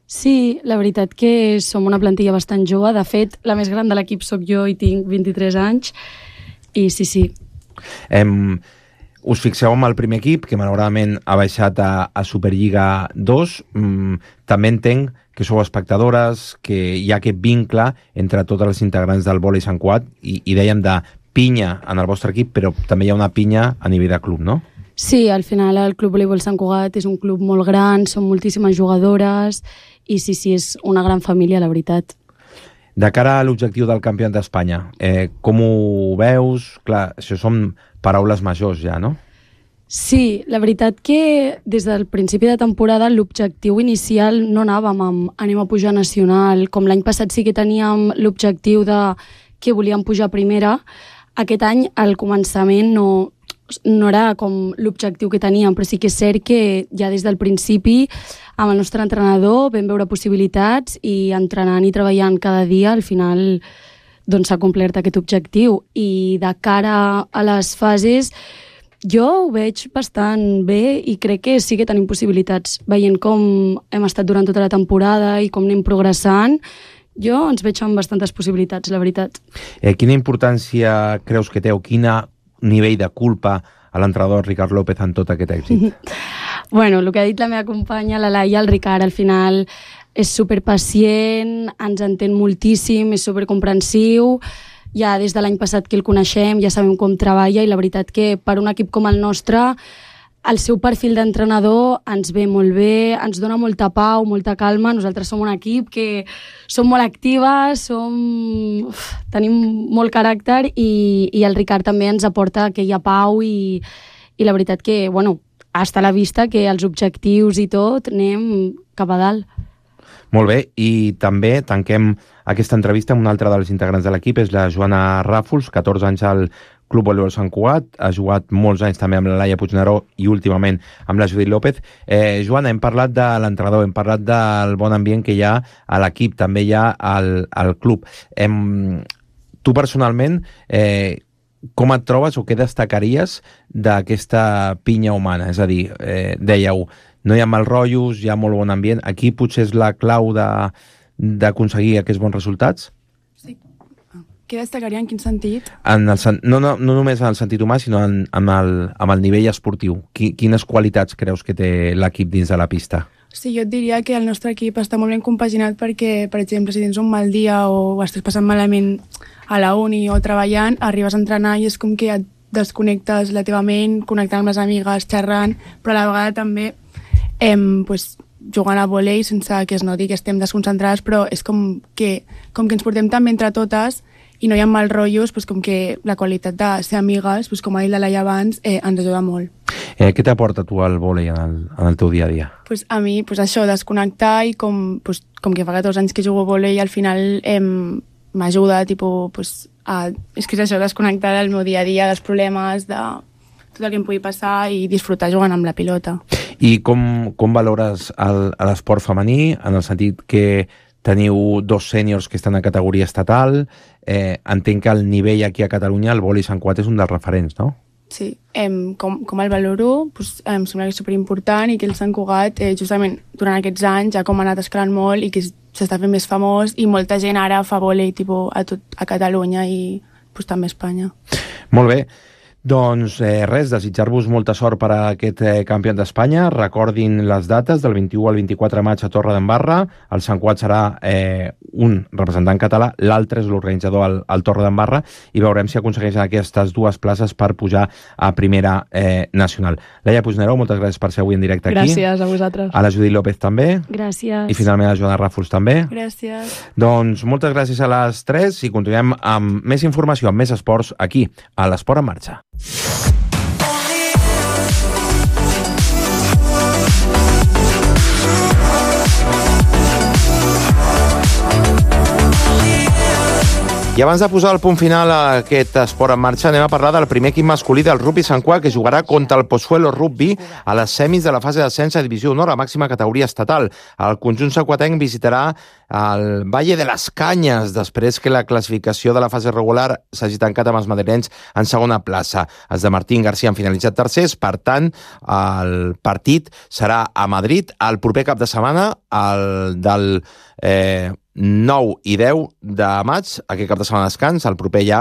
[SPEAKER 2] Sí, la veritat que som una plantilla bastant jove. De fet, la més gran de l'equip sóc jo i tinc 23 anys. I sí.
[SPEAKER 18] Us fixeu en el primer equip, que malauradament ha baixat a Superliga 2. També entenc que sou espectadores, que hi ha aquest vincle entre totes les integrants del vòlei Sant Cugat i dèiem de pinya en el vostre equip, però també hi ha una pinya a nivell de club, no?
[SPEAKER 2] Sí, al final el Club Voleibol Sant Cugat és un club molt gran, són moltíssimes jugadores i sí, és una gran família, la veritat.
[SPEAKER 18] De cara a l'objectiu del campionat d'Espanya, com ho veus? Clar, això són paraules majors ja, no?
[SPEAKER 2] Sí, la veritat que des del principi de temporada l'objectiu inicial no anàvem amb anem a pujar nacional, com l'any passat sí que teníem l'objectiu de que volíem pujar a primera. Aquest any al començament no era com l'objectiu que teníem, però sí que és cert que ja des del principi amb el nostre entrenador vam veure possibilitats i entrenant i treballant cada dia al final doncs s'ha complert aquest objectiu. I de cara a les fases jo ho veig bastant bé i crec que sí que tenim possibilitats. Veient com hem estat durant tota la temporada i com anem progressant, jo ens veig amb bastantes possibilitats, la veritat.
[SPEAKER 18] Quina importància creus que té o quin nivell de culpa a l'entrenador Ricard López en tot aquest èxit?
[SPEAKER 2] Bueno, el que ha dit la meva companya, la Laia, el Ricard, al final és superpacient, ens entén moltíssim, és supercomprensiu. Ja des de l'any passat que el coneixem, ja sabem com treballa i la veritat que per un equip com el nostre el seu perfil d'entrenador ens ve molt bé, ens dona molta pau, molta calma. Nosaltres som un equip que som molt actives, tenim molt caràcter i el Ricard també ens aporta aquella pau i la veritat que, bueno, està a la vista que els objectius i tot anem cap a dalt.
[SPEAKER 18] Molt bé, i també tanquem aquesta entrevista amb una altra dels integrants de l'equip, és la Joana Ràfols, 14 anys al Club Voleibol Sant Cugat, ha jugat molts anys també amb la Laia Puigneró i últimament amb la Judit López. Joana, hem parlat de l'entrenador, hem parlat del bon ambient que hi ha a l'equip, també hi ha al club. Tu personalment, com et trobes o què destacaries d'aquesta pinya humana? És a dir, dèieu, no hi ha mal rotllos, hi ha molt bon ambient. Aquí potser és la clau d'aconseguir aquests bons resultats?
[SPEAKER 21] Sí. Què destacaria, en quin sentit?
[SPEAKER 18] No només en el sentit humà, sinó amb el nivell esportiu. Quines qualitats creus que té l'equip dins de la pista?
[SPEAKER 21] Sí, jo et diria que el nostre equip està molt ben compaginat perquè, per exemple, si tens un mal dia o estàs passant malament a la uni o treballant, arribes a entrenar i és com que et desconnectes la teva ment, connectant amb les amigues, xerrant, però a la vegada també jugant a vòlei sense que es noti que estem desconcentrades, però és com que ens portem tan bé entre totes i no hi ha mal rotllos, com que la qualitat de ser amigues, com ha dit la Laia abans, ens ajuda molt.
[SPEAKER 18] Què t'aporta tu al vòlei en el teu dia a dia?
[SPEAKER 21] A mi, això, desconnectar i com que fa 14 anys que jugo a vòlei al final m'ajuda, és que és això, desconnectar del meu dia a dia, dels problemes, de tot el que em pugui passar i disfrutar jugant amb la pilota.
[SPEAKER 18] I com valores l'esport femení, en el sentit que teniu 2 sèniors que estan a categoria estatal, entenc que el nivell aquí a Catalunya, el vòlei Sant Cugat és un dels referents, no?
[SPEAKER 21] Sí, com el valoro, em sembla que és superimportant i que el Sant Cugat, justament durant aquests anys, ja com ha anat escalant molt i que s'està fent més famós i molta gent ara fa vòlei a Catalunya i també a Espanya.
[SPEAKER 18] Molt bé. Doncs res, desitjar-vos molta sort per a aquest campionat d'Espanya. Recordin les dates, del 21 al 24 de maig a Torredembarra. El Sant Cugat serà un representant català, l'altre és l'organitzador al Torredembarra, i veurem si aconsegueixen aquestes 2 places per pujar a primera nacional. Laia Puigneró, moltes gràcies per ser avui en directe aquí.
[SPEAKER 21] Gràcies a vosaltres.
[SPEAKER 18] A la Judit López també.
[SPEAKER 2] Gràcies.
[SPEAKER 18] I finalment a la Joana Ràfols també.
[SPEAKER 21] Gràcies.
[SPEAKER 18] Doncs moltes gràcies a les 3 i continuem amb més informació, amb més esports aquí, a l'Esport en Marxa. I abans de posar el punt final a aquest esport en marxa, anem a parlar del primer equip masculí del Rugby Sant Cugat, que jugarà contra el Pozuelo Rugby a les semis de la fase d'ascens a Divisió d'Honor, a màxima categoria estatal. El conjunt santcuatenc visitarà el Valle de les Canyes, després que la classificació de la fase regular s'hagi tancat amb els madrilenys en segona plaça. Els de Martín García han finalitzat tercers, per tant, el partit serà a Madrid el proper cap de setmana, el del 9 i 10 de maig, aquest cap de setmana descans, el proper ja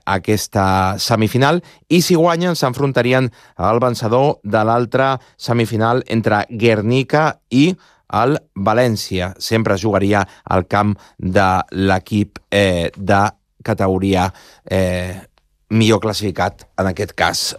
[SPEAKER 18] aquesta semifinal, i si guanyen s'enfrontarien al vencedor de l'altra semifinal entre Guernica i el València. Sempre jugaria al camp de l'equip de categoria millor classificat, en aquest cas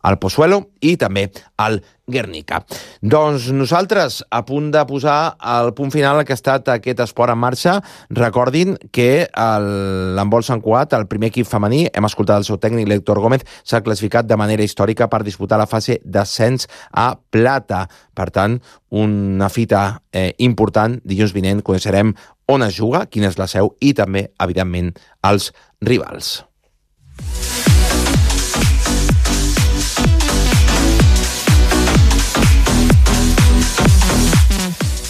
[SPEAKER 18] al Pozuelo i també al Guernica. Doncs nosaltres, a punt de posar el punt final al que ha estat aquest esport en marxa, recordin que l'handbol Sant Cugat, el primer equip femení, hem escoltat el seu tècnic, l'Héctor Gómez, s'ha classificat de manera històrica per disputar la fase d'ascens a plata. Per tant, una fita important. Dilluns vinent coneixerem on es juga, quina és la seu i també, evidentment, els rivals.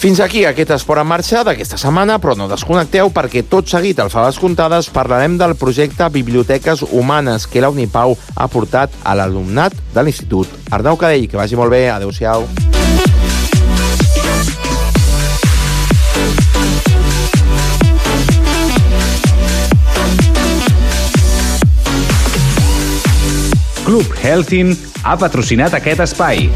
[SPEAKER 18] Fins aquí aquest esport en marxa d'aquesta setmana, però no desconnecteu perquè tot seguit al Faves Comptades parlarem del projecte Biblioteques Humanes que la Unipau ha portat a l'alumnat de l'Institut Arnau Cadell. Que vagi molt bé, adeu-siau.
[SPEAKER 16] Club Healthin ha patrocinat aquest espai.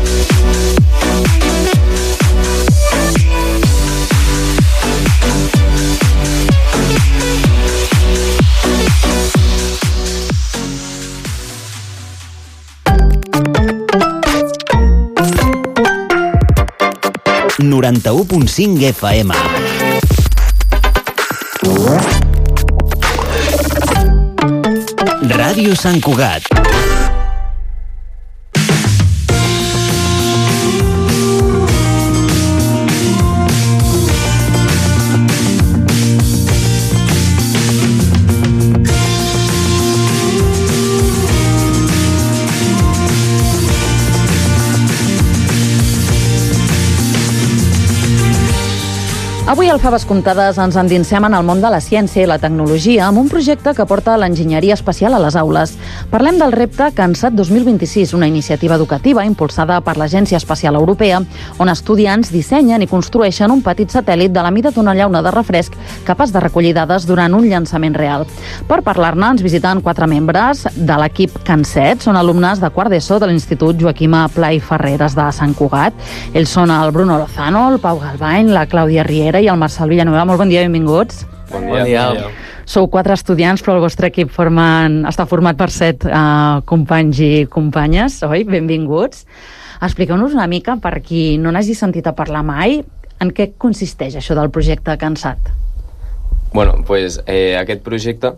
[SPEAKER 4] ...91.5 FM. Ràdio Sant Cugat.
[SPEAKER 17] Avui al Faves Comptades ens endinsem en el món de la ciència i la tecnologia amb un projecte que porta l'enginyeria espacial a les aules. Parlem del repte CANSAT 2026, una iniciativa educativa impulsada per l'Agència Espacial Europea, on estudiants dissenyen i construeixen un petit satèl·lit de la mida d'una llauna de refresc capaç de recollir dades durant un llançament real. Per parlar-ne ens visiten 4 membres de l'equip CANSAT. Són alumnes de quart d'ESO de l'Institut Joaquima Pla i Ferreres de Sant Cugat. Ells són el Bruno Lozano, el Pau Galvany, la Clàudia Riera i el Marçal Villanueva. Molt bon dia, benvinguts.
[SPEAKER 3] Bon dia.
[SPEAKER 17] Sou 4 estudiants, però el vostre equip està format per 7 companys i companyes, oi? Benvinguts. Expliqueu-nos una mica, per qui no n'hagi sentit a parlar mai, en què consisteix això del projecte CANSAT?
[SPEAKER 3] Bueno, pues aquest projecte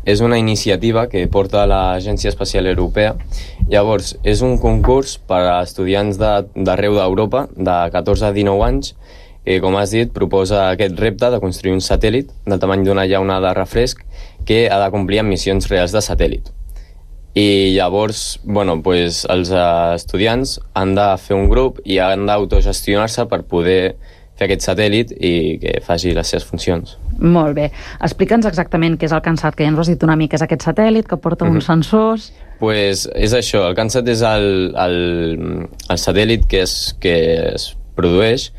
[SPEAKER 3] és una iniciativa que porta l'Agència Espacial Europea. Llavors, és un concurs per a estudiants d'arreu d'Europa, de 14 a 19 anys, que, com has dit, proposa aquest repte de construir un satèl·lit del tamany d'una llauna de refresc que ha de complir amb missions reals de satèl·lit. I llavors, bueno, pues, els estudiants han de fer un grup i han d'autogestionar-se per poder fer aquest satèl·lit i que faci les seves funcions.
[SPEAKER 17] Molt bé. Explica'ns exactament què és el CANSAT, que ja ens ho has dit una mica, és aquest satèl·lit que porta uns sensors...
[SPEAKER 3] Pues és això, el CANSAT és el satèl·lit que es produeix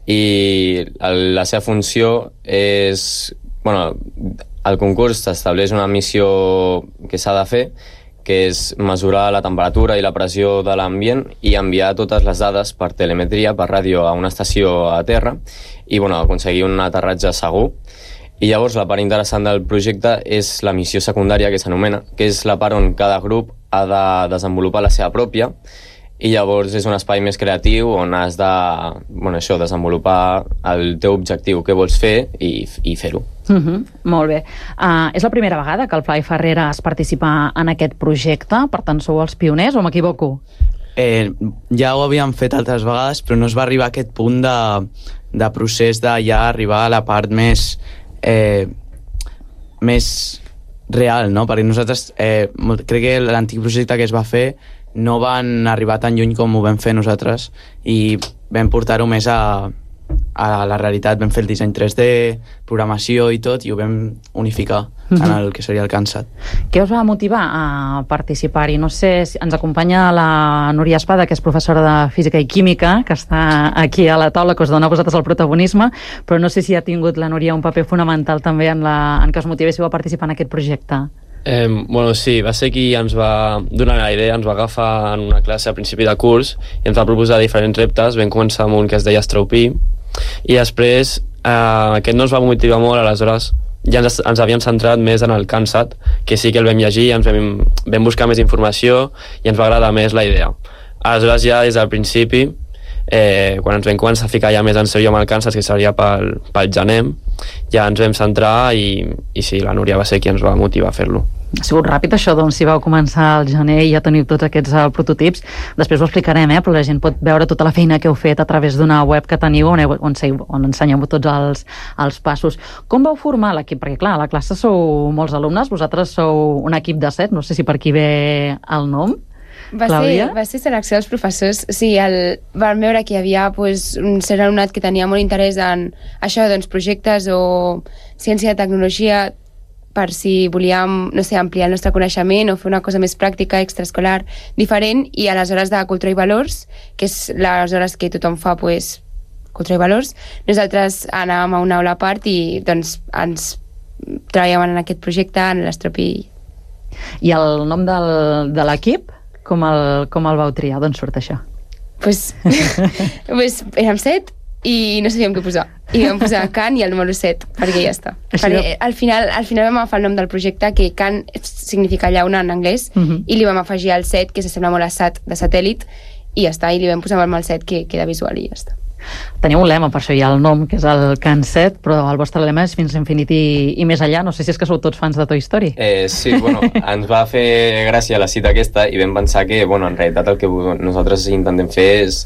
[SPEAKER 3] i la seva funció és... Bueno, el concurs estableix una missió que s'ha de fer, que és mesurar la temperatura i la pressió de l'ambient i enviar totes les dades per telemetria, per ràdio, a una estació a terra i aconseguir un aterratge segur. I llavors la part interessant del projecte és la missió secundària, que s'anomena, que és la part on cada grup ha de desenvolupar la seva pròpia, i llavors és un espai més creatiu on has de desenvolupar el teu objectiu, què vols fer i fer-ho.
[SPEAKER 17] Molt bé. És la primera vegada que el Pla i Ferreres participa en aquest projecte, per tant sou els pioners o m'equivoco?
[SPEAKER 22] Ja ho havíem fet altres vegades, però no es va arribar a aquest punt de procés de ja arribar a la part més més real, no? Perquè nosaltres, crec que l'antic projecte que es va fer no van arribar tan lluny com ho vam fer nosaltres i vam portar-ho més a la realitat. Vam fer el disseny 3D, programació i tot, i ho vam unificar en el que seria el CANSAT.
[SPEAKER 17] Què us va motivar a participar-hi? No sé, si ens acompanya la Núria Espada, que és professora de Física i Química, que està aquí a la taula, que us dona a vosaltres el protagonisme, però no sé si ha tingut la Núria un paper fonamental també en que us motivéssiu a participar en aquest projecte.
[SPEAKER 5] Bueno, sí, va ser qui ens va donar la idea, ens va agafar en una classe a principi de curs i ens va proposar diferents reptes. Vam començar amb un que es deia Straupí i després aquest no ens va motivar molt, aleshores ja ens havíem centrat més en el CANSAT, que sí que el vam llegir, vam buscar més informació i ens va agradar més la idea. Aleshores ja des del principi, quan ens vam començar a ficar ja més en sèrio amb el CANSAT, que seria pel gener, ja ens vam centrar i sí, la Núria va ser qui ens va motivar a fer-lo.
[SPEAKER 17] Ha sigut ràpid això, doncs, si vau començar al gener i ja teniu tots aquests prototips. Després ho explicarem, però la gent pot veure tota la feina que heu fet a través d'una web que teniu on ensenyeu tots els passos. Com vau formar l'equip? Perquè, clar, a la classe sou molts alumnes, vosaltres sou un equip de 7, no sé si per aquí ve el nom.
[SPEAKER 7] Va ser selecció dels professors. Sí, vam veure que hi havia un cert alumnat que tenia molt interès en això, doncs, projectes o ciència i tecnologia, per si volíem, no sé, ampliar el nostre coneixement o fer una cosa més pràctica, extraescolar, diferent, i a les hores de cultura i valors, que és les hores que tothom fa, cultura i valors, nosaltres anàvem a una aula a part i doncs ens treballàvem en aquest projecte, en l'Straupí.
[SPEAKER 17] I el nom de l'equip, com el vau triar? D'on surt això?
[SPEAKER 7] Érem 7 i no sabíem què posar. I vam posar Can i el número 7, perquè ja està. Perquè al final vam agafar el nom del projecte, que Can significa llauna en anglès, i li vam afegir el 7, que s'assembla molt a SAT, de satèl·lit, i ja està, i li vam posar el 7, que queda visual, i ja està.
[SPEAKER 17] Teniu un lema, per això hi ha el nom, que és el CANSAT, però el vostre lema és fins a infinit i més allà. No sé si és que sou tots fans de Toy Story.
[SPEAKER 3] Sí, ens va fer gràcia la cita aquesta i vam pensar que, en realitat el que nosaltres intentem fer és,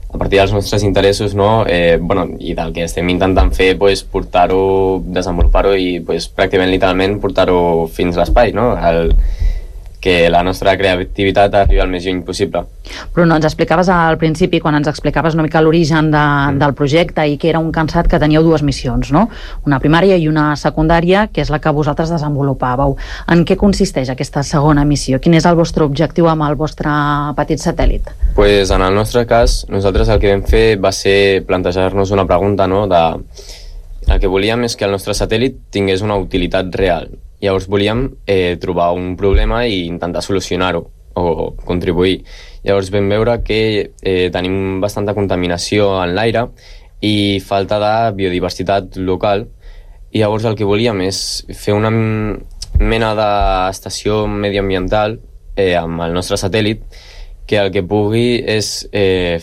[SPEAKER 3] a partir dels nostres interessos, i del que estem intentant fer, portar-ho, desenvolupar-ho i pràcticament literalment portar-ho fins a l'espai, que la nostra creativitat arribi al més lluny possible.
[SPEAKER 17] Bruno, ens explicaves al principi, quan ens explicaves una mica l'origen del projecte, i que era un CANSAT que teníeu dues missions, no? Una primària i una secundària, que és la que vosaltres desenvolupàveu. En què consisteix aquesta segona missió? Quin és el vostre objectiu amb el vostre petit satèl·lit?
[SPEAKER 3] En el nostre cas, nosaltres el que vam fer va ser plantejar-nos una pregunta, el que volíem és que el nostre satèl·lit tingués una utilitat real. Llavors volíem trobar un problema i intentar solucionar-ho o contribuir. Llavors vam veure que tenim bastanta contaminació en l'aire i falta de biodiversitat local, i llavors el que volíem és fer una mena d'estació medioambiental amb el nostre satèl·lit, que el que pugui és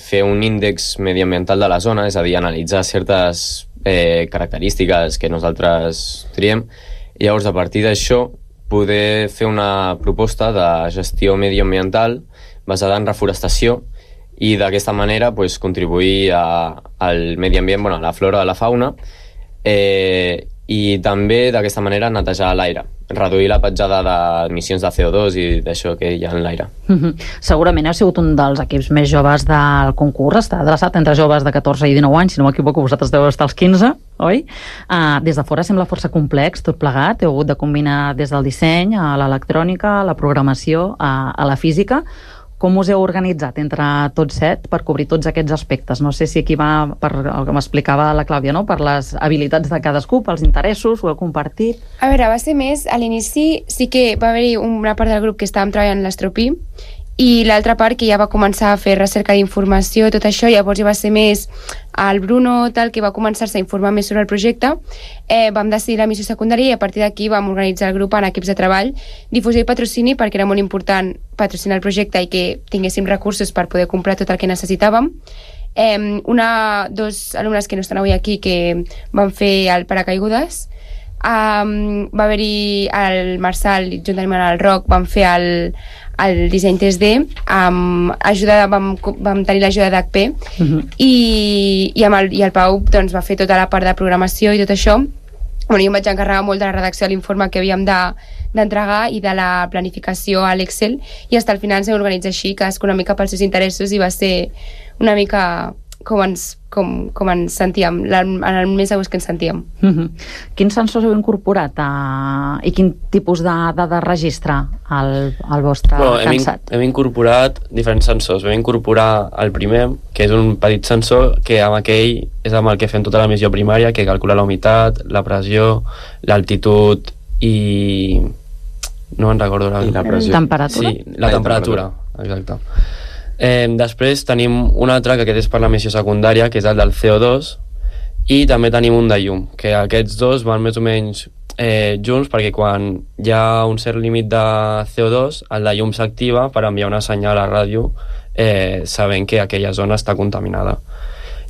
[SPEAKER 3] fer un índex medioambiental de la zona, és a dir, analitzar certes característiques que nosaltres triem, i llavors a partir d'això poder fer una proposta de gestió medioambiental basada en reforestació i d'aquesta manera contribuir al medi ambient, a la flora, a la fauna, i també d'aquesta manera netejar l'aire, reduir la petjada d'emissions de CO2 i d'això que hi ha en l'aire.
[SPEAKER 17] Segurament heu sigut un dels equips més joves del concurs, està adreçat entre joves de 14 i 19 anys, si no m'equivoco, vosaltres deveu estar als 15, oi? Des de fora sembla força complex, tot plegat, heu hagut de combinar des del disseny a l'electrònica, a la programació, a la física. Com us heu organitzat entre tots 7 per cobrir tots aquests aspectes? No sé si aquí va per el que m'explicava la Clàudia, per les habilitats de cadascú, pels interessos, ho heu compartit?
[SPEAKER 7] A veure, va ser més, a l'inici sí que va haver-hi una part del grup que estàvem treballant l'Straupí i l'altra part que ja va començar a fer recerca d'informació, tot això, llavors ja va ser més el Bruno, que va començar-se a informar més sobre el projecte. Vam decidir la missió secundària i a partir d'aquí vam organitzar el grup en equips de treball, difusió i patrocini, perquè era molt important patrocinar el projecte i que tinguéssim recursos per poder comprar tot el que necessitàvem. Dos alumnes que no estan avui aquí que van fer el paracaigudes, va haver-hi el Marçal juntament amb el Roc van fer el disseny 3D vam tenir l'ajuda d'HP i el Pau va fer tota la part de programació i tot això, jo em vaig encarregar molt de la redacció de l'informe que havíem d'entregar i de la planificació a l'Excel, i fins al final ens vam organitzar així, cadascú una mica pels seus interessos, i va ser una mica com ens sentíem, en el més a gust que ens sentíem.
[SPEAKER 17] Quins sensors heu incorporat i quin tipus de dades registra el vostre cansat?
[SPEAKER 5] Hem incorporat diferents sensors. Vam incorporar el primer, que és un petit sensor que amb aquell és amb el que fem tota la missió primària, que calcula la humitat, la pressió, l'altitud i... no me'n recordo la pressió.
[SPEAKER 17] Temperatura?
[SPEAKER 5] Sí, la temperatura, exacte. Després tenim un altre, que aquest és per la missió secundària, que és el del CO2, i també tenim un de llum, que aquests dos van més o menys junts, perquè quan hi ha un cert límit de CO2, el de llum s'activa per enviar una senyal a ràdio sabent que aquella zona està contaminada.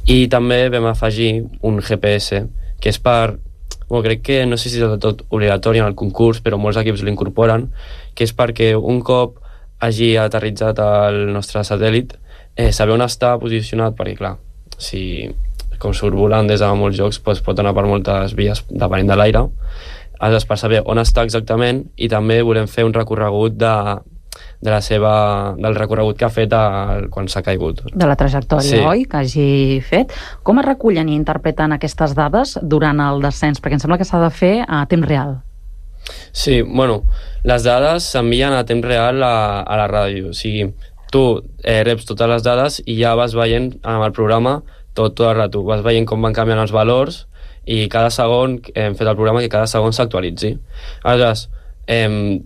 [SPEAKER 5] I també vam afegir un GPS, que és per... crec que no sé si és de tot obligatori en el concurs, però molts equips l'incorporen, que és perquè un cop hagi aterritzat el nostre satèl·lit, saber on està posicionat, perquè clar, si com surt volant des de molts llocs, pot anar per moltes vies depenent de l'aire, aleshores per saber on està exactament, i també volem fer un recorregut del recorregut que ha fet quan s'ha caigut.
[SPEAKER 17] De la trajectòria, oi? Que hagi fet. Com es recullen i interpreten aquestes dades durant el descens? Perquè em sembla que s'ha de fer a temps real.
[SPEAKER 5] Sí, les dades s'envien a temps real a la ràdio. O sigui, tu reps totes les dades i ja vas veient amb el programa tot el rato. Vas veient com van canviant els valors i cada segon hem fet el programa que cada segon s'actualitzi. Aleshores,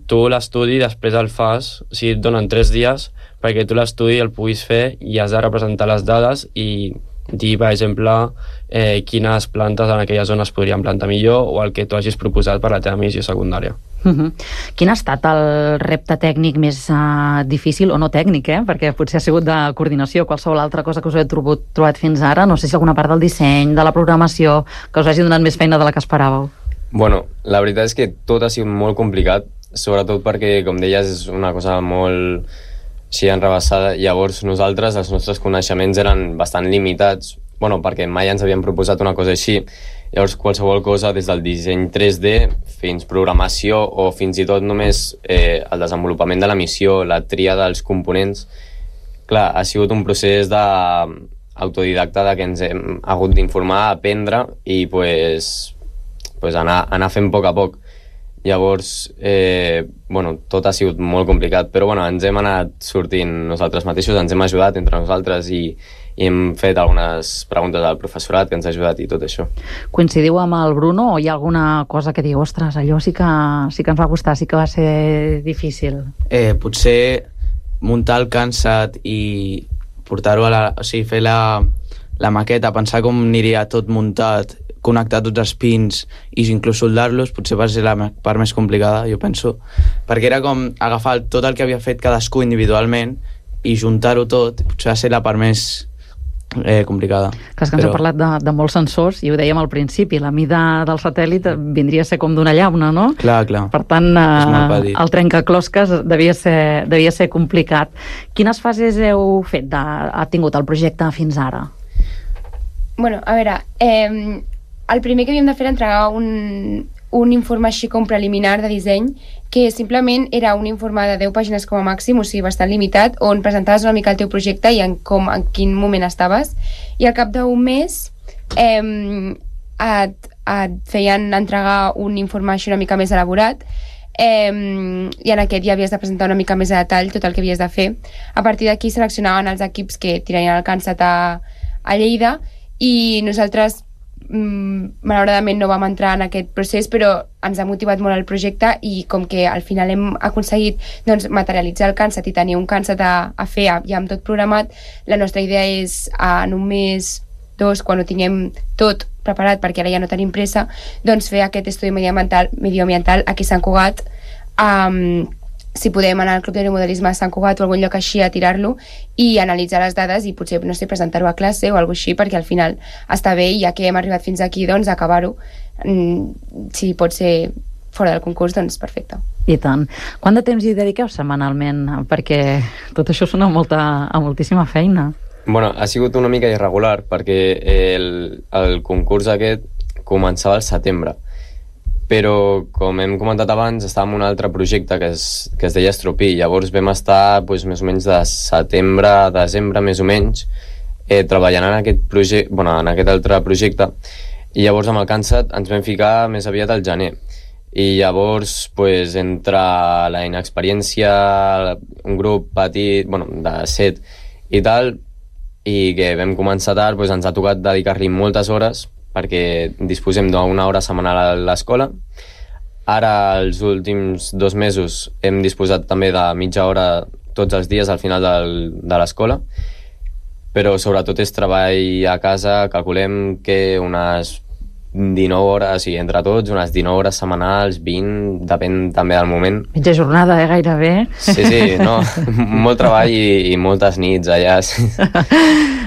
[SPEAKER 5] tu l'estudi després el fas, o sigui, et donen 3 dies perquè tu l'estudi el puguis fer i has de representar les dades i dir, per exemple, quines plantes en aquella zona es podrien plantar millor o el que tu hagis proposat per la teva missió secundària.
[SPEAKER 17] Quin ha estat el repte tècnic més difícil, o no tècnic, perquè potser ha sigut de coordinació, qualsevol altra cosa que us heu trobat fins ara? No sé si alguna part del disseny, de la programació, que us hagi donat més feina de la que esperàveu.
[SPEAKER 3] La veritat és que tot ha sigut molt complicat, sobretot perquè, com deies, és una cosa molt així enrebaçada. Llavors nosaltres, els nostres coneixements eren bastant limitats, perquè mai ens havíem proposat una cosa així. Llavors qualsevol cosa, des del disseny 3D fins programació o fins i tot només el desenvolupament de la missió, la tria dels components, clar, ha sigut un procés autodidacta que ens hem hagut d'informar, aprendre i anar fent a poc a poc. Llavors, tot ha sigut molt complicat, però ens hem anat sortint nosaltres mateixos, ens hem ajudat entre nosaltres i hem fet algunes preguntes al professorat que ens ha ajudat i tot això.
[SPEAKER 17] Coincidiu amb el Bruno o hi ha alguna cosa que diu, ostres, allò sí que ens va costar, sí que va ser difícil?
[SPEAKER 22] Potser muntar el cansat i portar-ho fer la maqueta, pensar com aniria tot muntat, connectar tots els pins i inclús soldar-los, potser va ser la part més complicada, jo penso, perquè era com agafar tot el que havia fet cadascú individualment i juntar-ho tot, potser va ser la part més complicada.
[SPEAKER 17] Clar, que ens ha parlat de molts sensors i ho dèiem al principi, la mida del satèl·lit vindria a ser com d'una llauna, no?
[SPEAKER 22] Clar.
[SPEAKER 17] Per tant, el trencaclosques devia ser complicat. Quines fases heu fet, ha tingut el projecte fins ara?
[SPEAKER 7] A veure, el primer que havíem de fer era entregar un informe així com preliminar de disseny, que simplement era un informe de 10 pàgines com a màxim, o sigui, bastant limitat, on presentaves una mica el teu projecte i en quin moment estaves, i al cap d'un mes et feien entregar un informe així una mica més elaborat, i en aquest ja havies de presentar una mica més a detall tot el que havies de fer. A partir d'aquí seleccionaven els equips que tirarien el cansat a Lleida, i nosaltres malauradament no vam entrar en aquest procés, però ens ha motivat molt el projecte i com que al final hem aconseguit materialitzar el cansat i tenir un cansat a fer ja amb tot programat, la nostra idea és en un mes, 2, quan ho tinguem tot preparat, perquè ara ja no tenim pressa, fer aquest estudi medioambiental aquí a Sant Cugat, si podem anar al Club d'Aeromodelisme a Sant Cugat o algun lloc així a tirar-lo i analitzar les dades i potser, no sé, presentar-ho a classe o alguna cosa així, perquè al final està bé i ja que hem arribat fins aquí, acabar-ho, si pot ser fora del concurs, perfecte.
[SPEAKER 17] I tant. Quant de temps hi dediqueu setmanalment? Perquè tot això sona a moltíssima feina.
[SPEAKER 3] Ha sigut una mica irregular, perquè el concurs aquest començava al setembre. però com hem comentat abans estàvem en un altre projecte que es deia Estropí. Llavors vam estar més o menys de setembre a desembre més o menys treballant en aquest altre projecte, i llavors amb el Cansat ens vam ficar més aviat al gener. I llavors, entre la inexperiència, un grup petit, de 7 i tal, i que vam començar tard, ens ha tocat dedicar-li moltes hores, perquè disposem d'una hora setmanal a l'escola. Ara, els últims 2 mesos, hem disposat també de mitja hora tots els dies al final de l'escola, però sobretot és treball a casa. Calculem que unes 19 hores, i entre tots, unes 19 hores setmanals, 20, depèn també del moment.
[SPEAKER 17] Mitja jornada, gairebé.
[SPEAKER 3] Sí, no, molt treball i moltes nits allà.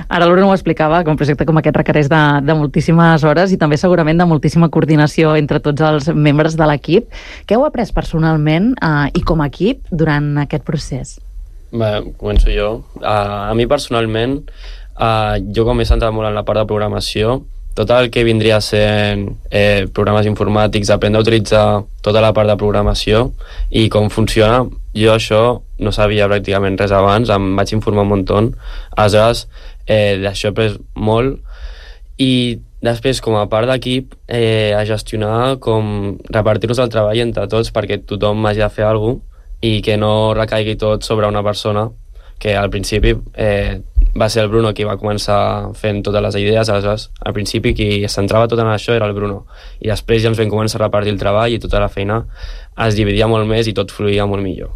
[SPEAKER 17] Ara l'Bruno ho explicava, que un projecte com aquest requereix de moltíssimes hores i també segurament de moltíssima coordinació entre tots els membres de l'equip. Què heu après personalment i com a equip durant aquest procés?
[SPEAKER 5] Bé, començo jo. A mi personalment, jo com m'he centrat molt en la part de programació, tot el que vindria sent programes informàtics, aprendre a utilitzar tota la part de programació i com funciona, jo això no sabia pràcticament res abans, em vaig informar un muntó, aleshores d'això he après molt. I després, com a part d'equip, a gestionar com repartir-nos el treball entre tots perquè tothom hagi de fer alguna cosa i que no recaigui tot sobre una persona, que al principi va ser el Bruno qui va començar fent totes les idees. Aleshores, al principi qui es centrava tot en això era el Bruno, i després ja ens vam començar a repartir el treball i tota la feina es dividia molt més i tot fluïa molt millor.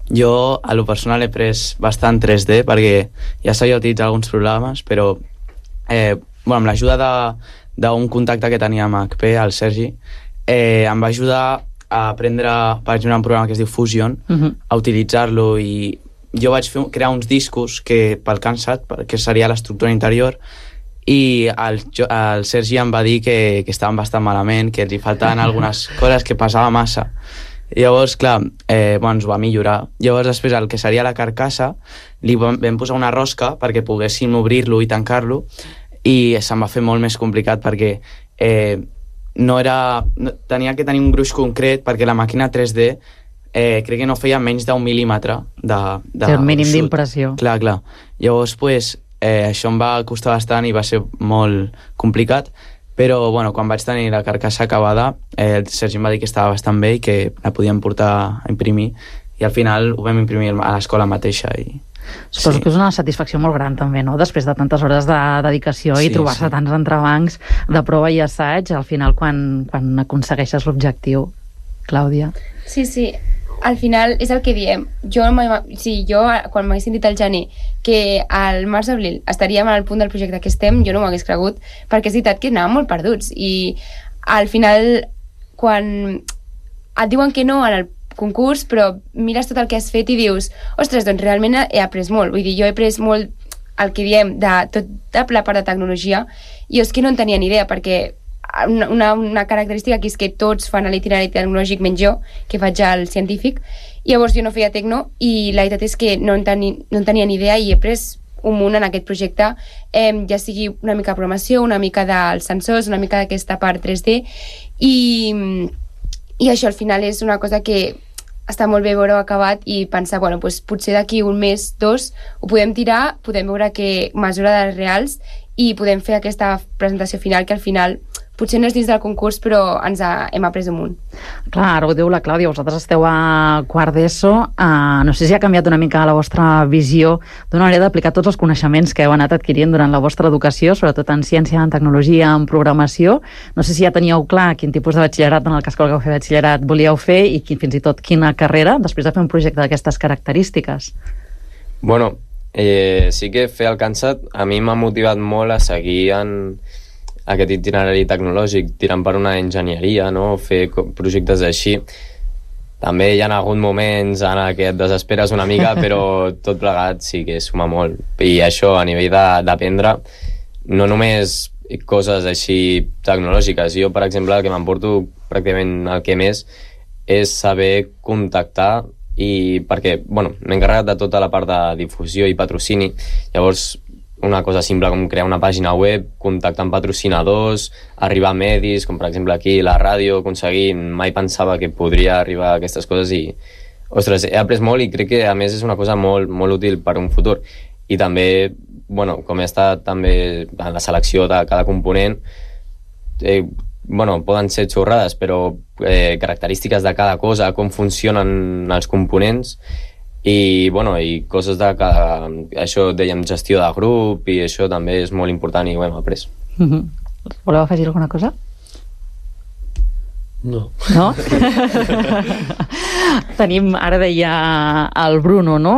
[SPEAKER 22] Jo, a lo personal, he pres bastant 3D perquè ja sabia utilitzar alguns programes, però amb l'ajuda d'un contacte que tenia amb HP, el Sergi, em va ajudar a aprendre, per exemple, un programa que es diu Fusion, a utilitzar-lo, i jo vaig crear uns discos que pel Cansat, que seria l'estructura interior, i el Sergi em va dir que estaven bastant malament, que li faltaven algunes coses, que pesava massa. I llavors, clar, ens ho va millorar. Llavors, després, el que seria la carcassa, li vam posar una rosca perquè poguéssim obrir-lo i tancar-lo, i se'm va fer molt més complicat perquè tenia que tenir un gruix concret, perquè la màquina 3D crec que no feia menys d'un mil·límetre de
[SPEAKER 17] el mínim d'impressió.
[SPEAKER 22] Clar. Llavors, això em va costar bastant i va ser molt complicat, però quan vaig tenir la carcassa acabada, el Sergi em va dir que estava bastant bé i que la podíem portar a imprimir, i al final ho vam imprimir a l'escola mateixa.
[SPEAKER 17] Suposo que és una satisfacció molt gran també, no? Després de tantes hores de dedicació i trobar-se tants entrebancs de prova i assaig, al final quan aconsegueixes l'objectiu. Clàudia?
[SPEAKER 7] Sí, al final és el que diem. Jo quan m'haguessin dit al gener que al març-abril estaríem al punt del projecte que estem, jo no m'ho hagués cregut, perquè és veritat que anàvem molt perduts, i al final quan et diuen que no en el concurs, però mires tot el que has fet i dius, ostres, doncs realment he après molt. Vull dir, jo he après molt el que diem de tota la part de tecnologia, i és que no en tenia ni idea, perquè una característica aquí és que tots fan l'itinerari tecnològic menys jo, que faig el científic, i llavors jo no feia tecno, i la veritat és que no en tenia ni idea, i he après un munt en aquest projecte, ja sigui una mica de programació, una mica dels sensors, una mica d'aquesta part 3D, i això al final és una cosa que està molt bé veure-ho acabat i pensar, potser d'aquí un mes, 2, ho podem tirar, podem veure que mesura dades reals i podem fer aquesta presentació final, que al final potser no és dins del concurs, però hem après un munt.
[SPEAKER 17] Clar, ara ho diu la Clàudia, vosaltres esteu a quart d'ESO, no sé si ha canviat una mica la vostra visió d'una manera d'aplicar tots els coneixements que heu anat adquirint durant la vostra educació, sobretot en ciència, en tecnologia, en programació. No sé si ja teníeu clar quin tipus de batxillerat, en el cas que volgueu fer batxillerat, volíeu fer, i fins i tot quina carrera, després de fer un projecte d'aquestes característiques.
[SPEAKER 3] Sí que fer el Cansat a mi m'ha motivat molt a seguir en aquest itinerari tecnològic, tirant per una enginyeria, no? Fer projectes així. També hi ha hagut moments en què et desesperes una mica, però tot plegat sí que suma molt. I això, a nivell d'aprendre, no només coses així tecnològiques. Jo, per exemple, el que m'emporto pràcticament el que més és saber contactar, i perquè, m'he encarregat de tota la part de difusió i patrocini. Llavors, una cosa simple com crear una pàgina web, contactar amb patrocinadors, arribar a medis, com per exemple aquí la ràdio, aconseguir... Mai pensava que podria arribar a aquestes coses i, ostres, he après molt i crec que a més és una cosa molt, molt útil per un futur. I també, bueno, com he estat també en la selecció de cada component, bueno, poden ser xorrades, però característiques de cada cosa, com funcionen els components, i, bueno, i coses de cada... Això, dèiem, gestió de grup, i això també és molt important i ho hem après.
[SPEAKER 17] Voleu afegir alguna cosa?
[SPEAKER 5] No.
[SPEAKER 17] No? Tenim, ara deia el Bruno, no?,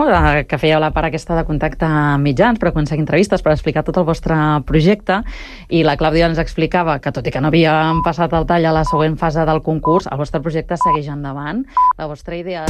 [SPEAKER 17] que feia la part aquesta de contacte amb mitjans per aconseguir entrevistes, per explicar tot el vostre projecte, i la Clàudia ens explicava que, tot i que no havíem passat el tall a la següent fase del concurs, el vostre projecte segueix endavant. La vostra idea...